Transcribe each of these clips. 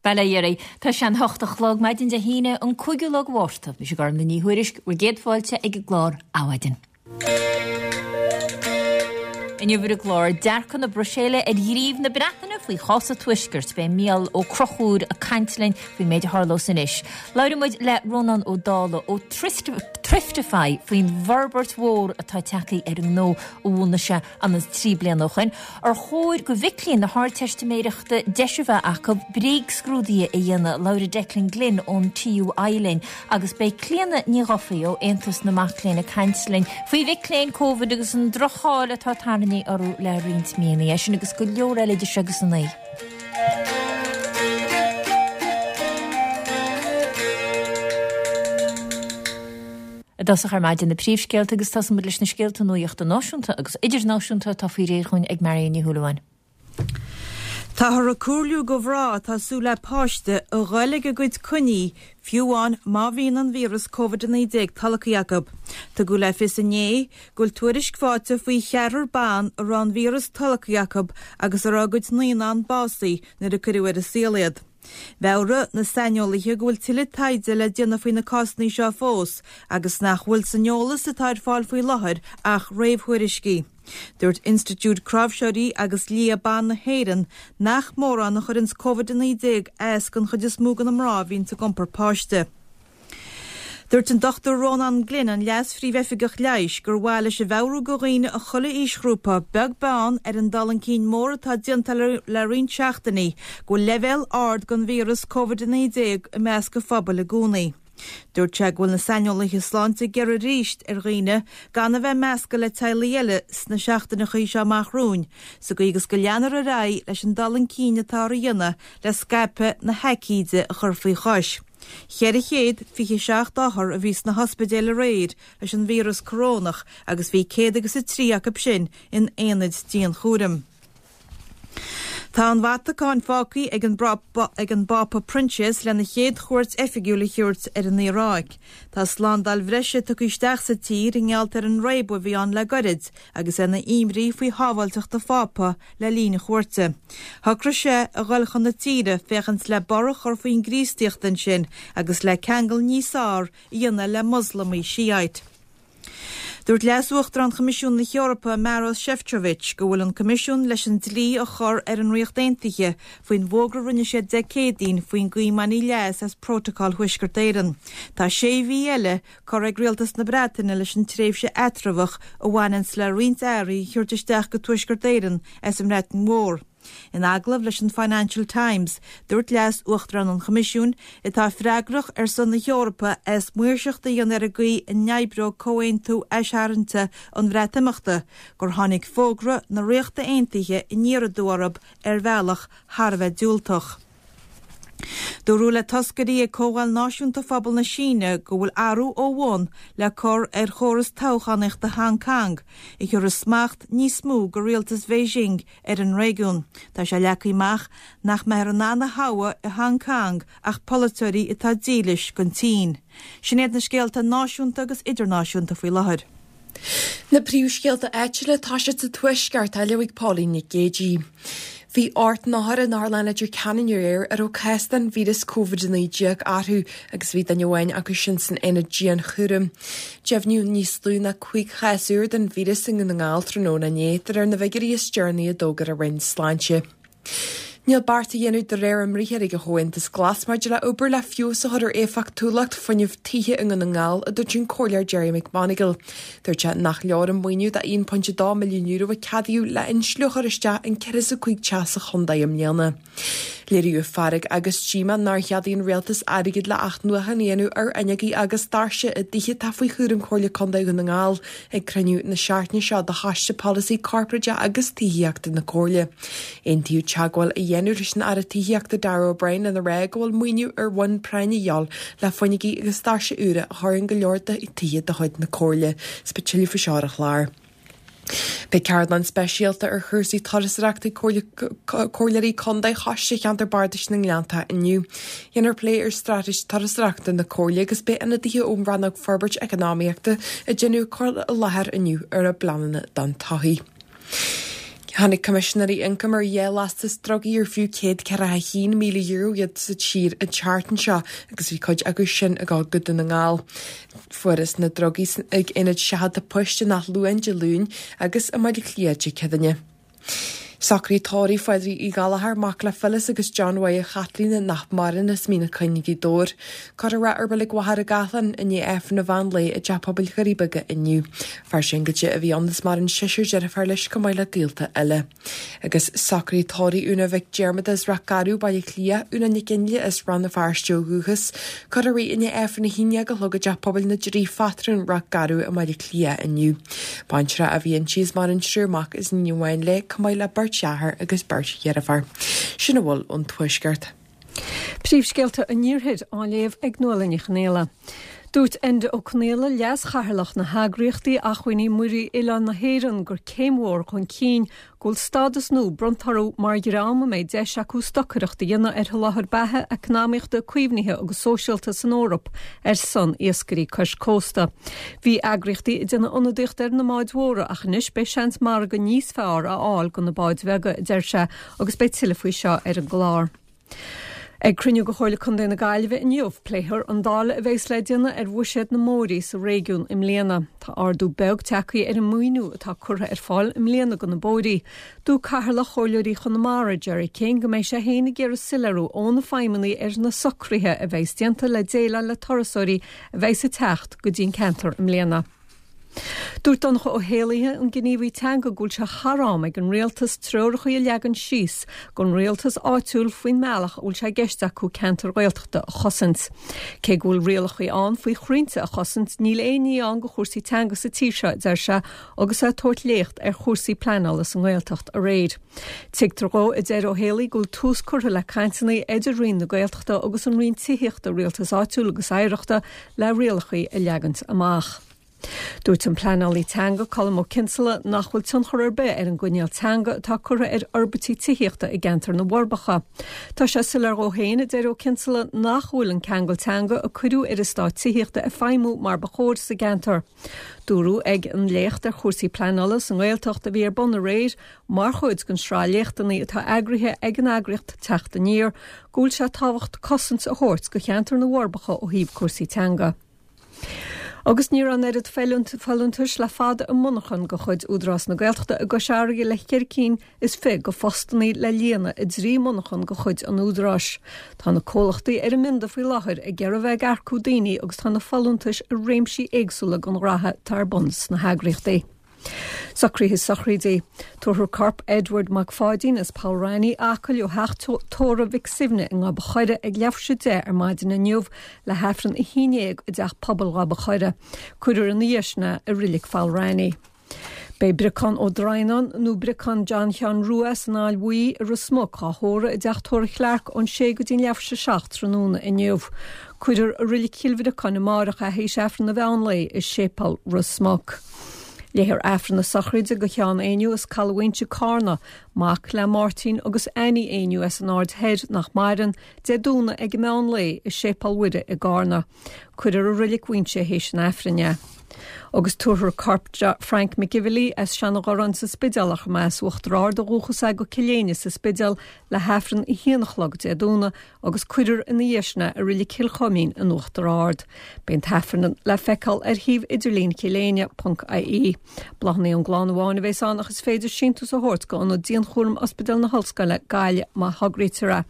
Bail ó Dhia oraibh. Tá sé an hocht a chlog maidin Dé hAoine, an cúigiú lá de Mhárta. Mise Gormlaith Ní Thuairisg, bhur gcéad fáilte ag an gclár Adhmhaidin. Inniu ar an gclár, dearcadh na Bruiséile ar ghníomh na Breataine faoi chás an Tuaiscirt. Beidh Mícheál Ó Conchúir ag caint linn faoin méid a tharlós anois. Labhróidh muid le Rónán Ó Dálaigh ó Thriftify faoin bhforbairt mhór atá tagtha ar an ngnó a bhunaigh sé an 3 bliana ó shoin. Ar chóir go mhic léinn na hArdteistiméireachta deis a bheith acu bréagscrúduithe a dhéanamh? Labhróidh Declan Glynn ón TUI linn agus beidh Clíona Ní Dhufaigh ó Aontas na Mac Léinn ag caint linn faoi mhic léinn Covid agus an droch-cháil atá tarraingthe orthu le roinnt míonna. É sin agus go leor eile idir seo agus a 9. I dtosach ar maidin na príomhscéalta agus tosóidh muid leis na scéalta nuachta náisiúnta agus idirnáisiúnta atá faoi réir dhúinn ag Marion Ní Shúilleabháin. Táthar ag comhairliú go mhná atá ag súil le páiste a ghoil ag a gcuid coinní, fiú amháin má bhíonn an víreas Covid-19 tolgtha acu. Tugadh le fios inné go bhfuil tuairisc faighte faoi cheathrar ban a raibh an víreas tolgtha acu agus a raibh a gcuid naíonán básaithe nuair a cuireadh ar an saol iad. Mheabhraigh na saineolaithe go bhfuil tuilleadh taighde le déanamh faoi na cásanna seo fós agus nach bhfuil san eolas atá ar fáil faoi láthair ach réamhthuairiscí. Dúirt Institiúid Cráibhseoirí agus Lia Ban na hÉireann nach mórán a chuireanns Covid-19 as don chuid is mó de na mná a bhíonns ag iompar páiste. Dúirt an Dr Rónán Glynn, an Leas-Phríomh-Oifigeach Leighis, gur mhaith leis a mheabhrú go dhaoine i chuile aoisghrúpa, beag beann ar an dul chun cinn mór atá déanta le roinnt seachtainí, go bhfuil leibhéal ard den víreas Covid-19 i measc an phobail i gcónaí. Dúirt sé go bhfuil na saineolaithe sláinte ag iarraidh arís ar dhaoine gan a bheith measctha le teaghlaigh eile sna seachtaineacha seo amach romhainn, sa gcaoi agus go leanfar ar aghaidh leis an dul chun cinn atáthar a dhéanamh le scaipeadh na haicíde a chur faoi chois. 427 othar a bhí sna hospidéil aréir leis an víreas corónach agus bhí céad agus a trí acu sin in aonaid dianchúraim. Tá an Vatacáin fágtha ag an ag an bPápa Proinsias lena chéad chuairt oifigiúil a thabhairt ar an Iaráic. Tá slándáil bhreise tugtha isteach sa tír i ngeall ar an réabadh a bhí ann le goirid agus ar na imní faoi shábháilteacht an Phápa le linn a chuairte. Shocraigh sé a dhul chun na tíre féachaint le borradh a chur faoin gCríostaíocht ansin agus le ceangal níos fearr a dhéanamh le Moslamaigh Shiite. Dúirt Leas-Uachtarán Choimisiún na hEorpa, Maros Sefcovic, go bhfuil an Coimisiún leis an dlí a chur ar an Ríocht Aontaithe faoin bhfógra a rinne siad Dé Céadaoin faoin gcaoi a mbainfí leas as Prótacal Thuaisceart Éireann. Tá sé mhí eile curtha ag Rialtas na Breataine leis an tréimhse eatramhach a bhaineanns le roinnt earraí a thabhairt isteach go Tuaisceart Éireann as an mBreatain Mhór. In agallamh leis an Financial Times, dúirt Leas Uachtarán an Choimisiúin, atá freagrach ar son na hEorpa as maoirseacht a dhéanamh ar an gcaoi a n-oibreoidh comhaontú aistarraingte an Bhreatimeachta, gur tháinig fógra na Ríochta Aontaithe aniar aduaidh orthu ar bhealach thar a bheith diúltach. Dúradh le toscairí ag Comhdháil Náisiúnta Phobal na Síne go bhfuil athrú ó bhun le cur ar chóras toghchánaíochta Hong Kong, a thiúrfas smacht níos mó go rialtas Bheijing ar an réigiún. Tá sé leagtha amach nach mbeifear in ann a thoghadh i Hong Kong ach polaiteoirí atá dílis don tSín. Sin iad na scéalta náisiúnta agus idirnáisiúnta faoi láthair. Na príomhscéalta áitiúla ag toiseacht sa Tuaisceart á léamh ag Pauline Nic Géadaigh. Bhí 8 n-othar in Otharlann Leitir Ceanainn aréir a raibh cás den víreas Covid-19 orthu agus bhí duine amháin acu sin san aonad dianchúraim. Deimhníodh níos lú ná 5 chás úr den víreas i nDún na nGall tráthnóna inné, de réir na bhfigiúirí is deireanaí a d'fhógair an Roinn Sláinte. Níl beart á dhéanamh de réir a mbriathair ag an Chomhaontas Glas maidir le obair le feabhas a chur ar éifeachtúlacht fuinnimh tithe i nDún na nGall, a dúirt an Comhairleoir Gerry McMonagall. Dúirt sé nach leor an maoiniú de €1.2 milliún a ceadaíodh le insliú a chur isteach in 45 teach sa chontae i mbliana. Léiríodh fearg agus díomá nár cheadaigh an Rialtas airgead le athnuachan a dhéanamh ar fhuinneogaí agus doirse i dtithe atá faoi chúram Chomhairle Contae Dhún na nGall ag cruinniú na seachtaine seo de Choiste Polasaí Corparáideach agus Tithíochta na Comhairle. Aontaíodh teagmháil a dhéanamh leis an Aire Tithíochta Darragh O'Brien lena rá go bhfuil maoiniú ar bhonn práinne a dhíobháil le fuinneogaí agus doirse úra a chur in go leor de thithe de chuid na Comhairle. Is beidh tuilleadh faoi seo ar an chlár. Beidh ceardlann speisialta ar chúrsaí turasóireachta ag Comhairleoirí Contae Choiste Cheantar Bardais na nGleanntach inniu. Dhéanfar plé ar straitéis turasóireachta na Comhairle agus beidh ionadaithe ón Rannóg Forbairt Eacnamaíochta ag déanamh cur i láthair inniu ar a bpleananna don todhchaí. Tháinig Coimisinéirí Ioncaim ar dhá lastas drugaí ar fiú €141,000 iad sa tír an tseachtain seo agus bhí cuid acu sin ag dul go Dún na nGall. Fuarthas na drugaí ag aonad seachadta poist in Áth Luain Dé Luain agus i mBaile Átha Cliath Dé Céadaoine. Socraid tórraimh Phádraig Uí Ghallchóir, mac le Phyllis agus John Mháire Chaitlín nach maireann as Mín an Choinn, Gaoth Dobhair. Cuirfear é i Reilig Mhachaire Gathlán i ndiaidh Aifreann an mheán lae i dTeach Pobail Dhoirí Beaga inniu. Fear singil a bhí ann is maireann seisear deirféar leis chomh maith le gaolta eile. Agus socraid tórraimh Úna Mhic Diarmada as Ráth Garbh, Baile Átha Cliath, Úna Nic Fhionnghaile as Rann na Feirste ó dhúchas. Cuirfear í i ndiaidh Aifreann a haon déag a chlog i dTeach Pobail na dTrí Phatrún, Ráth Garbh i mBaile Átha Cliath inniu. Baintreach a bhí inti is maireann triúr mac is iníon amháin léi, chomh maith le beirt dheartháir agus beirt dheirféar. Sin a bhfuil ón Tuaisceart. Príomhscéalta an Iarthair á léamh ag Nuala Ní Chonghaile. Dúirt Enda Ó Conaola, Leas-Chathaoirleach na heagraíochtaí Acmhainní Muirí Oileáin na hÉireann gur céim mhór chun cinn go bhfuil stádas nua bronnta orthu mar dhream a mbeidh deis acu stocaireacht a dhéanamh ar sholáthar beatha eacnamaíochta, caomhnaithe agus sóisialta san Eoraip ar son iascairí cois cósta. Bhí eagraíochtaí ag déanamh ionadaíocht ar na mbáid mhóra ach anois beidh seans margadh níos fearr a fháil do na báid bheaga, a deir sé, agus beidh tuilleadh faoi seo ar an gclár. Ag cruinniú de Chomhairle Contae na Gaillimhe inniu, pléifear an dáileadh a bheas le déanamh ar bhuiséad na mbóithrí sa réigiún i mbliana. Tá ardú beag tagtha ar an maoiniú atá curtha ar fáil i mbliana do na bóithrí. Dúirt Cathaoirleach Chomhairleoirí Chonamara, Gerry King, go mbeidh sé féin ag iarraidh soiléiriú ó na feidhmeannaigh ar na socruithe a bheas déanta le déileáil le turasóirí a bheas ag teacht go dtí an ceantar i mbliana. Dúirt Donncha Ó hÉallaithe, an gníomhaí teanga, go bhfuil sé thar am ag an rialtas treoracha a leagan síos don rialtas áitiúil faoin mbealach a bhfuil sé i gceist acu ceantair Ghaeltachta a chosaint. Cé go bhfuil rialacha ann faoi chrainnte a chosaint, níl aon ní ann do chúrsaí teanga sa tír seo, a deir sé agus é ag tabhairt léacht ar chúrsaí pleanála sa nGaeltacht aréir. Tuigtear dhó, a deir Ó hÉalaí, go bhfuil tús curtha le cainteanna idir Roinn na Gaeltachta agus an Roinn Tithíochta, Rialtais Áitiúil agus Oidhreachta le rialacha a leagaint amach. Dúirt an pleanálaí teanga Colm Ó Cinnseala nach bhfuil tionchar ar bith ar an gcoinníoll teanga atá curtha ar fhorbairtí tithíochta i gceantar na bhForbacha. Tá sé soiléir dhó féin, a deir Ó Cinnseala, nach bhfuil an ceangal teanga a cuireadh ar eastáit tithíochta ag feidhmiú mar ba chóir sa gceantar. Dúradh ag an léacht ar chúrsaí pleanála sa nGaeltacht a bhí ar bun aréir Mar chuid den sraith léachtanna atá eagraithe ag an eagraíocht Teacht Aniar, go bhfuil sé tábhacht cosaint a thabhairt do cheantar na bhForbacha ó thaobh cúrsaí teanga. Agus ní raibh an oiread folúntais le fada i monarchan de chuid Údarás na Gaeltachta i gCois Fharraige le ceithre cinn is fi de phostannaí le líonadh i dtrí mhonarchan de chuid an Údaráis. Tá na comhlachtaí ar an mbionda faoi láthair ag iarraidh a bheith ag earcú daoine agus tá na folúntais i réimsí éagsúla den ghraithe atá ar bun sna heagraíochtaí. Socruithe sochraide. Tabharfar corp Edward Mac Pháidín as Poll Raithní, Acaill ó theach tórraimh Mhic Suibhne i nGob a' Choire ag leathuair tar éis a 10 ar maidin inniu le hAifreann 11 i dTeach Pobail Ghob a' Choire. Cuirfear ina dhiaidh sin é i Reilig Pholl Raithní. Beidh Briocán Ó Droighneáin nó Briocán John Sheáin Rua as an Aill Bhuí i Ros Muc á thórramh i dTeach Tórraimh Chlarke ón 6 go dtí an leathuair tar éis a 7 tráthnóna inniu. Cuirfear i Reilig Chill Bhriocáin amárach é théis Aifreann an mheán lae i Séipéal Ros Muc. Léifear Aifreann na sochraide do Sheán Éinniú as Caladh Mhaínse, Cárna, mac le Máirtín agus Annie Éinniú as an Aird Thoir, nach maireann, Dé Domhnaigh ag an meán lae i Séipéal Mhuire i gCárna. Cuirfear i Reilig Mhaínse théis an Aifrinn é. Agus tabharfar corp Frank McGivilly as Seanadh Ghorráin sa Spidéal, ach mba as Uachtar Ard ó dhúchas é, go Cill Éinne sa Spidéal le hAifreann a haon a chlog Dé Domhnaigh agus cuirfear ina dhiaidh sin é i Reilig Chill Choimín in Uachtar Ard. Beidh an t-aifreann le feiceáil ar shuíomh idirlín Chill Éinne ponc ie. Bláthanna ón gclann amháin a bheas ann ach is féidir síntiús a thabhairt go Ionad Dianchúraim Ospidéal na hOllscoile, Gaillimh má thograítear é.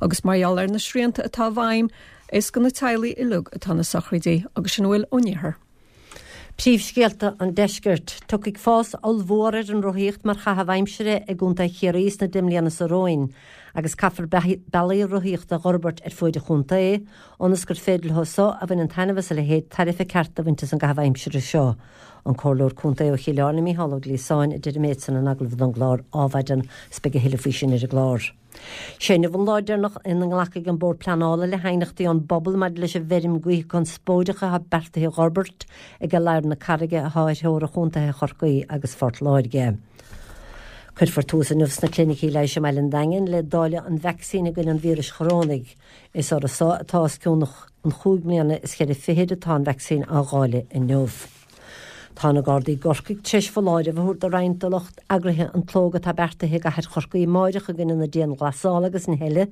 Agus mar gheall ar na srianta atá i bhfeidhm, is do na teaghlaigh uilig atá na sochraidí agus sin a bhfuil ón iarthar. Príomhscéalta an Deiscirt. Tiocfaidh fás ollmhór ar an rothaíocht mar chaitheamh aimsire i gContae Chiarraí sna 10 mbliana seo romhainn agus caithfear bealaí rothaíochta a dh'fhorbairt ar fuaid an chontae ionas gur féidir leo so a bhaineann taitneamh as a leithéid tairbhe ceart a bhaint as an gcaitheamh aimsire seo. An Comhairleoir Contae ó Chill Airne Micheál Ó Gliasáin a deir an méid san in agallamh don gclár Ádhmhaidin 's beidh a thuilleadh faoi sin ar an gclár. Sé inniu an lá deireanach ina nglacfaidh an Bord Pleanála le haighneachtaí ón bpobal maidir leis an bhfeirm gaoithe conspóideach atá beartaithe a dh'fhorbairt ag Ladhar na Carraige atá ar theora chontaetha Chorcaí agus Phort Láirge. Cuirfear tús inniu sna clinicí leighis i mbaile an Daingin le dáileadh an vacsaín i gcoinne an víris chorónaigh. Is orthu so atá os cionn an chúig mbliana is cheithre fichid atá an vacsaín á dháileadh inniu. Tá na Gardaí i gCorcaigh tar éis foláireamh a thabhairt do roinnt de lucht eagraithe an tslógaidh atá beartaithe i gcathair Chorcaí amáireach i gcoinne na dianghlasála agus na heile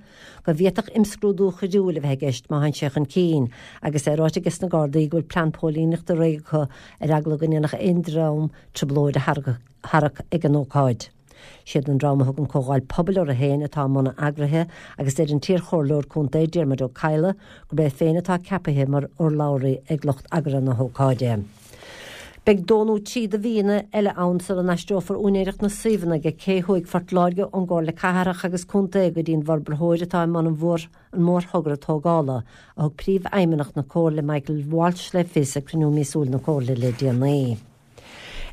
go bhféadfadh imscrúdú choiriúil a bheith i gceist má théann sé chun cinn agus é ráite ages na Gardaí go bhfuil plean póilíneachta réidh acu ar eagla go ndéanfadh aon dream trioblóid a tharrac ag an ócáid. Siad an dream a thugann Comhdháil Pobail orthu féin atá i mbun a eagraithe agus deir an t-iarchomhairleoir contae Diarmuid Ó Cadhla gurb é féin atá ceapaithe mar urlabhraí ag lucht eagraithe na hócáide. Beidh dó nó trí de mhíonna eile ann sula n-aistreofar úinéireacht na suíomhanna ag Cé Thuaidh Phort Láirge ón gComhairle Cathrach agus Contae go dtí an bhforbraitheoir atá i mbun an mhórthogra tógála, a thug Príomhfheidhmeannach na Comhairle Michael Walsh le fios ag cruinniú míosúil na Comhairle le déanaí.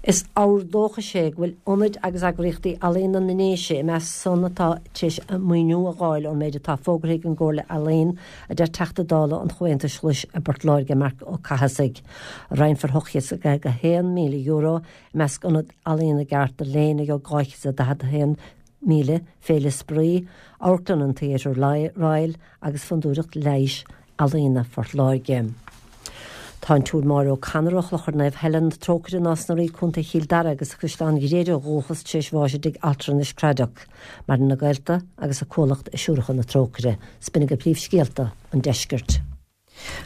Is ábhar dóchais é go bhfuil ionaid agus eagraíochtaí ealaíona na nDéise i measc san atá tar éis maoiniú a dh'fháil ón méid atá fógartha ag an gComhairle Ealaíon, a deir Teachta Dála an Chomhaontais Ghlais i bPort Láirge, Marc Ó Cathasaigh. Roinnfear €851,000 i measc Ionad Ealaíon i gCarter Lane a gheobhaidh €241,000, Féile Spraoi, Amharclann an Theatre Royal agus Fondúireacht Leighis Ealaíona Phort Láirge. Tá an tSiúr Máire O'Connor ó Chlochar Naomh Helen na Trócaire, Nás na Rí, Co. Chill Dara agus as Caisleán Ghriaire ó dhúchas tar éis bháis i dtigh altranais Cradock. Maireann a gaolta agus a cuallacht i Siúracha na Trócaire. 'S b'in agaibh príomhscéalta an deiscirt.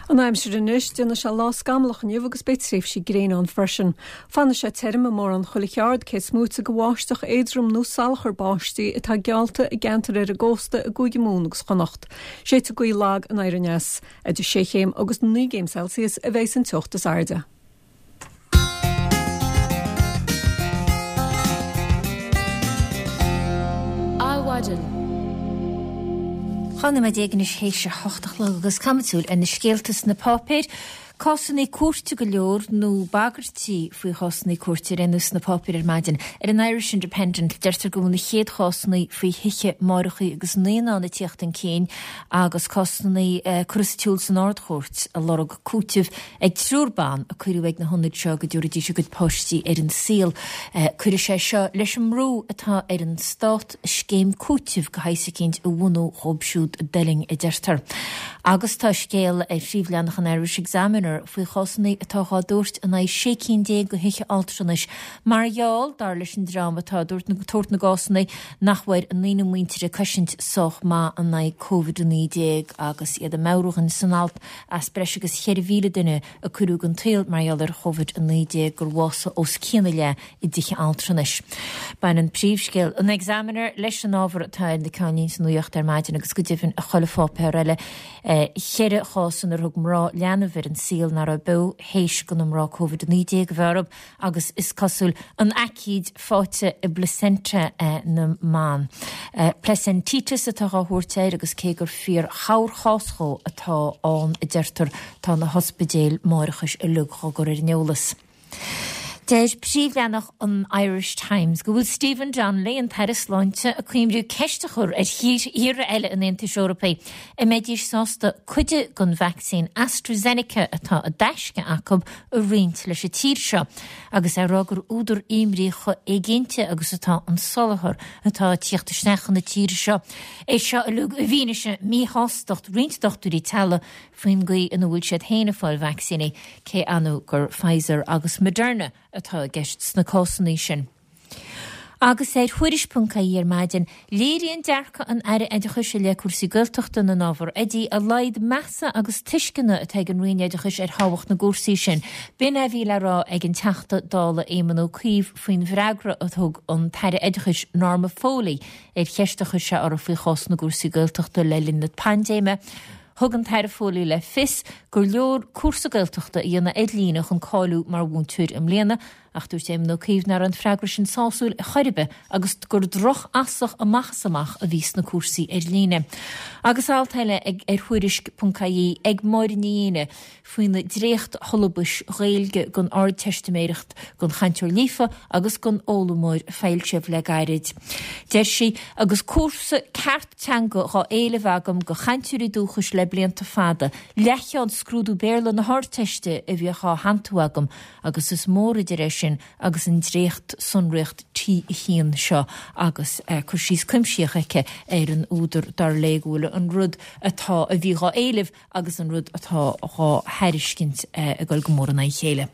An aimsir anois, déanfaidh sé lá scamallach inniu agus beidh tréimhsí gréine ann freisin. Fanfaidh sé tirim i mórán chuile cheard, cé is móite de bháisteach éadrom nó salachar báistí atá geallta i gceantair ar an gcósta i gCúige Mumhan agus Chonnacht. Séidfidh gaoth lag anoir aneas. Idir sé chéim agus 9 gcéim Celsius a bheidh san teocht is airde. Adhmhaidin. 12 nóiméad anois théis a hocht a chlog agus caithfimid súil ar na scéalta sna páipéir. Cásanna cúirte go leor nó bagairtí faoi chásanna cúirte ar aon nós sna páipéir ar maidin. Ar an Irish Independent deirtear go bhfuil na chéad chásanna faoi thithe máithreacha agus naíonán ag tíocht chun cinn agus cásanna curtha sa tsiúl san Ard-Chúirt ag lorg cúitimh ag triúr ban a cuireadh ag na hionaid seo go dtabharfaidís a gcuid páistí ar an saol. Cuirfidh sé seo leis an mbrú atá ar an Stát scéim cúitimh de shaghas eicínt a bhunú dhóibh siúd a d'fhuiling, a deirtear. Agus tá scéal ar phríomhleathanach an Irish Examiner faoi chásanna atá dhá dtabhairt in aghaidh 16 cinn de thithe altranais mar gheall, dar leis an dream atá ag tabhairt na gcásanna, nach bhfuair a ndaoine muinteartha cosaint sách maith in aghaidh Covid-19 agus iad ag meabhrú dhúinn san alt As breis agus 4,000 duine a cuireadh den tsaol mar gheall ar Covid-19 gur bhásaigh os cionn a leath i dtithe altranais. Baineann príomhscéal an Examiner leis an ábhar atá ar na ceannlínte nuachta ar maidin agus go deimhin i chuile pháipéar eile. Cheithre chás inar thug mná leanbh ar an saol nach raibh beo théis do na mná Covid-19 a bheith orthu. agus is cosúil an aicíd faighte i bplacenta na mban. Placentitis atá á thabhairt air agus cé gur fíor-chorrchás dhó atá ann a deirtear tá na hospidéil máithreachais uilig dhá gcur ar an eolas. Deir príomhleathanach an Irish Times go bhfuil Stephen Donnelly, an tAire Sláinte, ag cuimhniú ceist a chur ar thíortha eile an Aontais Eorpaigh an mbeidís sásta cuid den vacsaín AstraZeneca atá i dtaisce acu a roinnt leis an tír seo agus é ag rá gur údar imní chomh éiginnte agus atá an soláthar atá ag tíocht isteach chun na tíre seo. É seo uilig i bhfianaise míshástacht roinnt dochtúirí teaghlaigh faoin gcaoi ina bhfuil siad féin ag fáil vacsaíní, cé annamh gur Pfizer agus Moderna atá i gceist sna cásanna sin. Agus ar Thuairisc.ie ar maidin, léiríonn dearcadh an Aire Oideachais i leith cúrsaí Gaeltachta na n-ábhar oidí a laghad measa agus tuisceana atá ag an Roinn Oideachais ar thábhacht na gcúrsaí sin. B'in é a bhí le rá ag an Teachta Dála Éamon Ó Cuív faoin bhfreagra a thug an tAire Oideachais Norma Foley ar cheist a chuir sé uirthi faoi chás na gcúrsaí Gaeltachta le linn na paindéime. Thug an tAire Foley le fios gur leor cúrsa Gaeltachta a dhéanamh ar líne chun cáiliú mar mhúinteoir i mbliana Ach dúirt Éamon Ó Cuív nach raibh an freagra sin sásúil ar chor ar bith agus gur droch-fhasach amach is amach a bhí sna cúrsaí ar líne. Agus alt eile ag ar Thuairisc.ie ag Máire Ní Éanna faoi na dréacht-shiollabais Ghaeilge don Ardteistiméireacht don chainteoir líofa agus don fhoghlaimeoir foilsithe le gairid. Deir sí, Agus cúrsa ceart teanga dhá éileamh agam do chainteoirí dúchais le blianta fada, leathcheann scrúdú Béarla na hArdteiste a bhíodh á shantú agam, agus is mór idir é sin. sin agus an dréacht-sonraíocht T1 seo agus cur síos cuimsitheach aici ar an údar dar léi go bhfuil an rud atá a bhí dhá éileamh agus an rud atá dhá thairiscint ag dul go mór in aghaidh a chéile.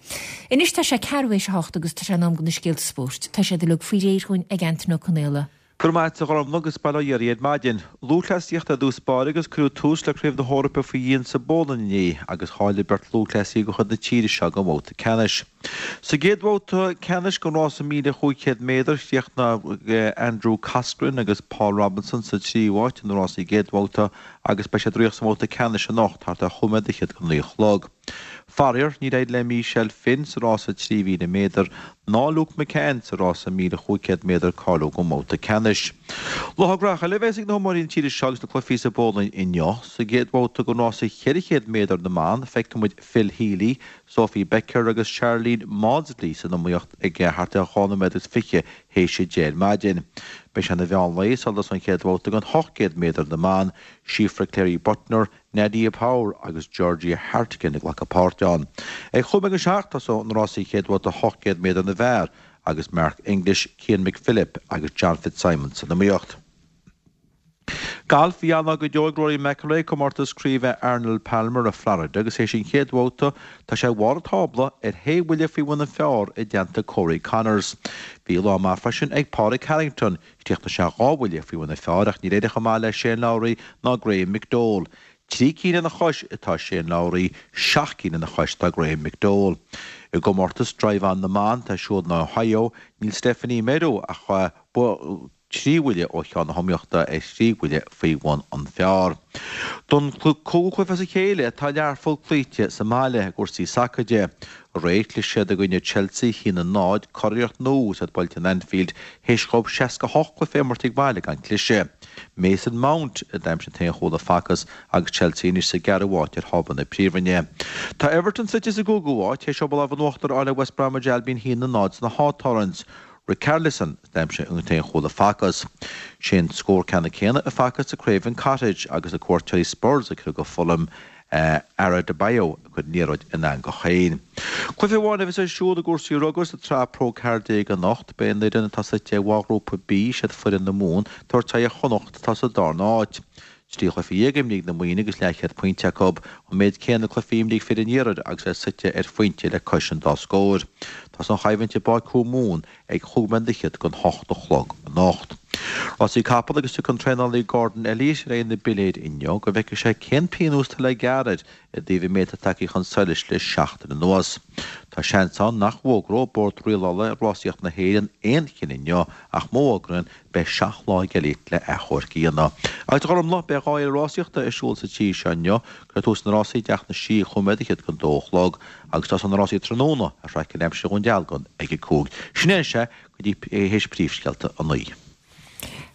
Anois tá sé ceathrú théis a hocht agus tá sé in am do na scéalta spóirt. Tá siad uilig faoi réir dhúinn ag Antaine Ó Conaola. Go raibh maith a't a Ghormfhlaith agus bail ó Dhia oraibh ar maidin. Lúthchleasaíocht ar dtús báire agus cuireadh tús le Craobh na hEorpa faoi dhíon sa bPólainn inné agus cháiligh beirt lúthchleasaí de chuid na tíre seo don bhabhta ceannais. Sa gcéad bhabhta ceannais den rás 1,500 méadar chríochnaigh Andrew Coscoran agus Paul Robinson sa tríú háit ina rásaí gcéad bhabhta agus beidh siad ag rith sa mbabhta ceannais anocht thart ar chúig nóiméad fhichead go naoi a chlog. Faraor, níor éirigh le Michelle Finn sa rása 3,000 méadar ná Luke McCann sa rása 1,500 méadar cáiliú don mbabhta ceannais. Lá gnóthach eile a bheas ag na hiomaitheoirí na tíre seo agus na cluichí sa bPólainn inniu. Sa gcéad bhabhta den rása 400 méadar na mban, feicfidh muid Phil Healy, Sophie Becker agus Sharlene Mawdsley san iomaíocht ag thart ar 2 nóiméad agus 20 théis 10 ar maidin. Beidh sé ina mheán lae sula dtosóidh an chéad bhabhta den 800 méadar na mban, Síofra Clery Buttner, Nadia Power agus Georgia Hartigan ag glacadh páirt ann. Ag chúig nóiméad go 7 tosóidh na rásaí chéad bhabhta 800 méadar na bhfear agus Mark English, Cian McPhilip agus John Fitzsimons san iomaíocht. Galf, Bhí an-lá go deo ag Rory McIlroy i gcomórtas craoibhe Arnold Palmer i Florida agus théis an chéad bhabhta tá sé ag barr an tábla ar shé bhuille faoi bhun an phar i dteannta Corey Conners. Bhí lá maith freisin ag Pádraig Harrington, Chríochnaigh sé 2 bhuille faoi bhun an phar ach níor éirigh chomh maith le Shane Lowry ná Graham McDowell. 3 cinn ina chois atá Shane Lowry, 7 cinn ina chois atá Graham McDowell. I gcomórtas Drive On na mban atá ar siúl in Ohio, níl Stephanie Meadow ach 3 bhuille ó cheann na hiomaíochta ar thrí bhuille faoi bhun an phar. Don cúigiú cluiche as a chéile atá Learpholl cloíte sa mbaile i gcúrsaí sacair de. Aréir chlis siad i gcoinne Chelsea 1-0, curiarracht nua agus iad buailte in Anfield théis dhóibh 68 cluiche a imirt ag baile gan cliseadh. Mason Mount a d'aimsigh an t-aon chúl a facthas agus Chelsea anois sa gceathrú háit ar thábla na Príomhroinne. Tá Everton suite sa gcúigiú háit théis dhóibh an lámh in uachtar a fháil ar West Bromwich Albion 1-0 sna Hawthorns. Richarlison a d'aimsigh an t-aon chúl a facthas. Sé an scór ceannann céanna a facthas sa Craven Cottage agus na cuairteoirí Spurs ag cur Fulham Adarabioyo ag cur an liathróid in eangach féin. Cluiche amháin a bheas ar siúl i gcúrsaí rugair sa tsraith Pro 14 anocht. Beidh an fhoireann atá suite i bhfoghrúpa B, siad foireann na Mumhan, ag tabhairt aghaidh ar Chonnacht atá sa darna háit. 13 chluiche imrithe ag na Muimhnigh agus leathchéad pointe acu, an méid céanna cluichí imrithe ag fir an Iarthair agus iad suite ar phointe le cois an dá scór. Tosóidh an choimhlint i bPáirc Thuamhumhan ag chúig nóiméad fhichead don hocht a chlog anocht. Rásaí capall agus tiocfaidh an traenálaí Gordon Elliott ar aghaidh na bpiléir inniu go bhfeicfidh sé cén pionós atá le gearradh air i dtaobh an méid atá tagtha chun solais le seachtain anuas. Tá seans ann nach bhfógróidh Bord Rialála Rásaíocht na hÉireann aon chinneadh inniu ach má fhógraíonn, beidh 7 lá ag Elliott le achomharc a dhéanamh. Agus a Ghormfhlaith, beidh 2 fhéile rásaíochta ar siúl sa tír seo inniu. Cuirfear tús leis na rásaí i dTeach na Sí ag chúig nóiméad fhichead don dó a chlog agus tosóidh na rásaí tráthnóna ar thraic an aimsir Dhún Dealgan ag a 5. Sin é anois é go dtí théis príomhscéalta a 9.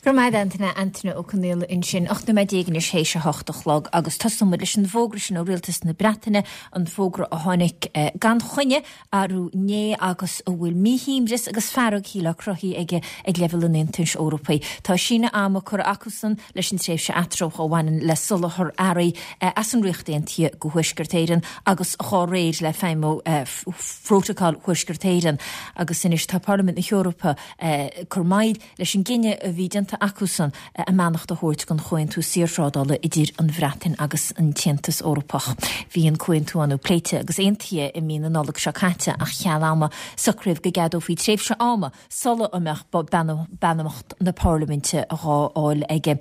Go raibh maith a't a Antaine, Antaine Ó Conaola ansin. 18 nóiméad anois théis a hocht a chlog agus tosóidh muid leis an bhfógra sin ó Rialtas na Breataine, an fógra a tháinig gan choinne arú inné agus a bhfuil míshuaimhneas agus fearg shílfeá cruthaithe aige ag leibhéal an Aontais Eorpaigh. Tá síneadh ama curtha acusan leis an tréimhse eatramhach a bhaineann le soláthar earraí as an Ríocht Aontaithe go Thuaisceart Éireann agus dhá réir le feidhmiú Phrótacal Thuaisceart Éireann agus anois tá Parlaimint na hEorpa ag cur moill leis an gcinneadh a bhí déanta acusan a mbeannacht a thabhairt don chomhaontú saorthrádála idir an Bhreatain agus an tAontas Eorpach. Bhí an comhaontú ann pléite agus aontaithe i mí na Nollag seo caite ach cheal ama socraíodh go gceadófaí tréimhse ama sula mbeadh beannacht na Parlaiminte dhá fháil aige.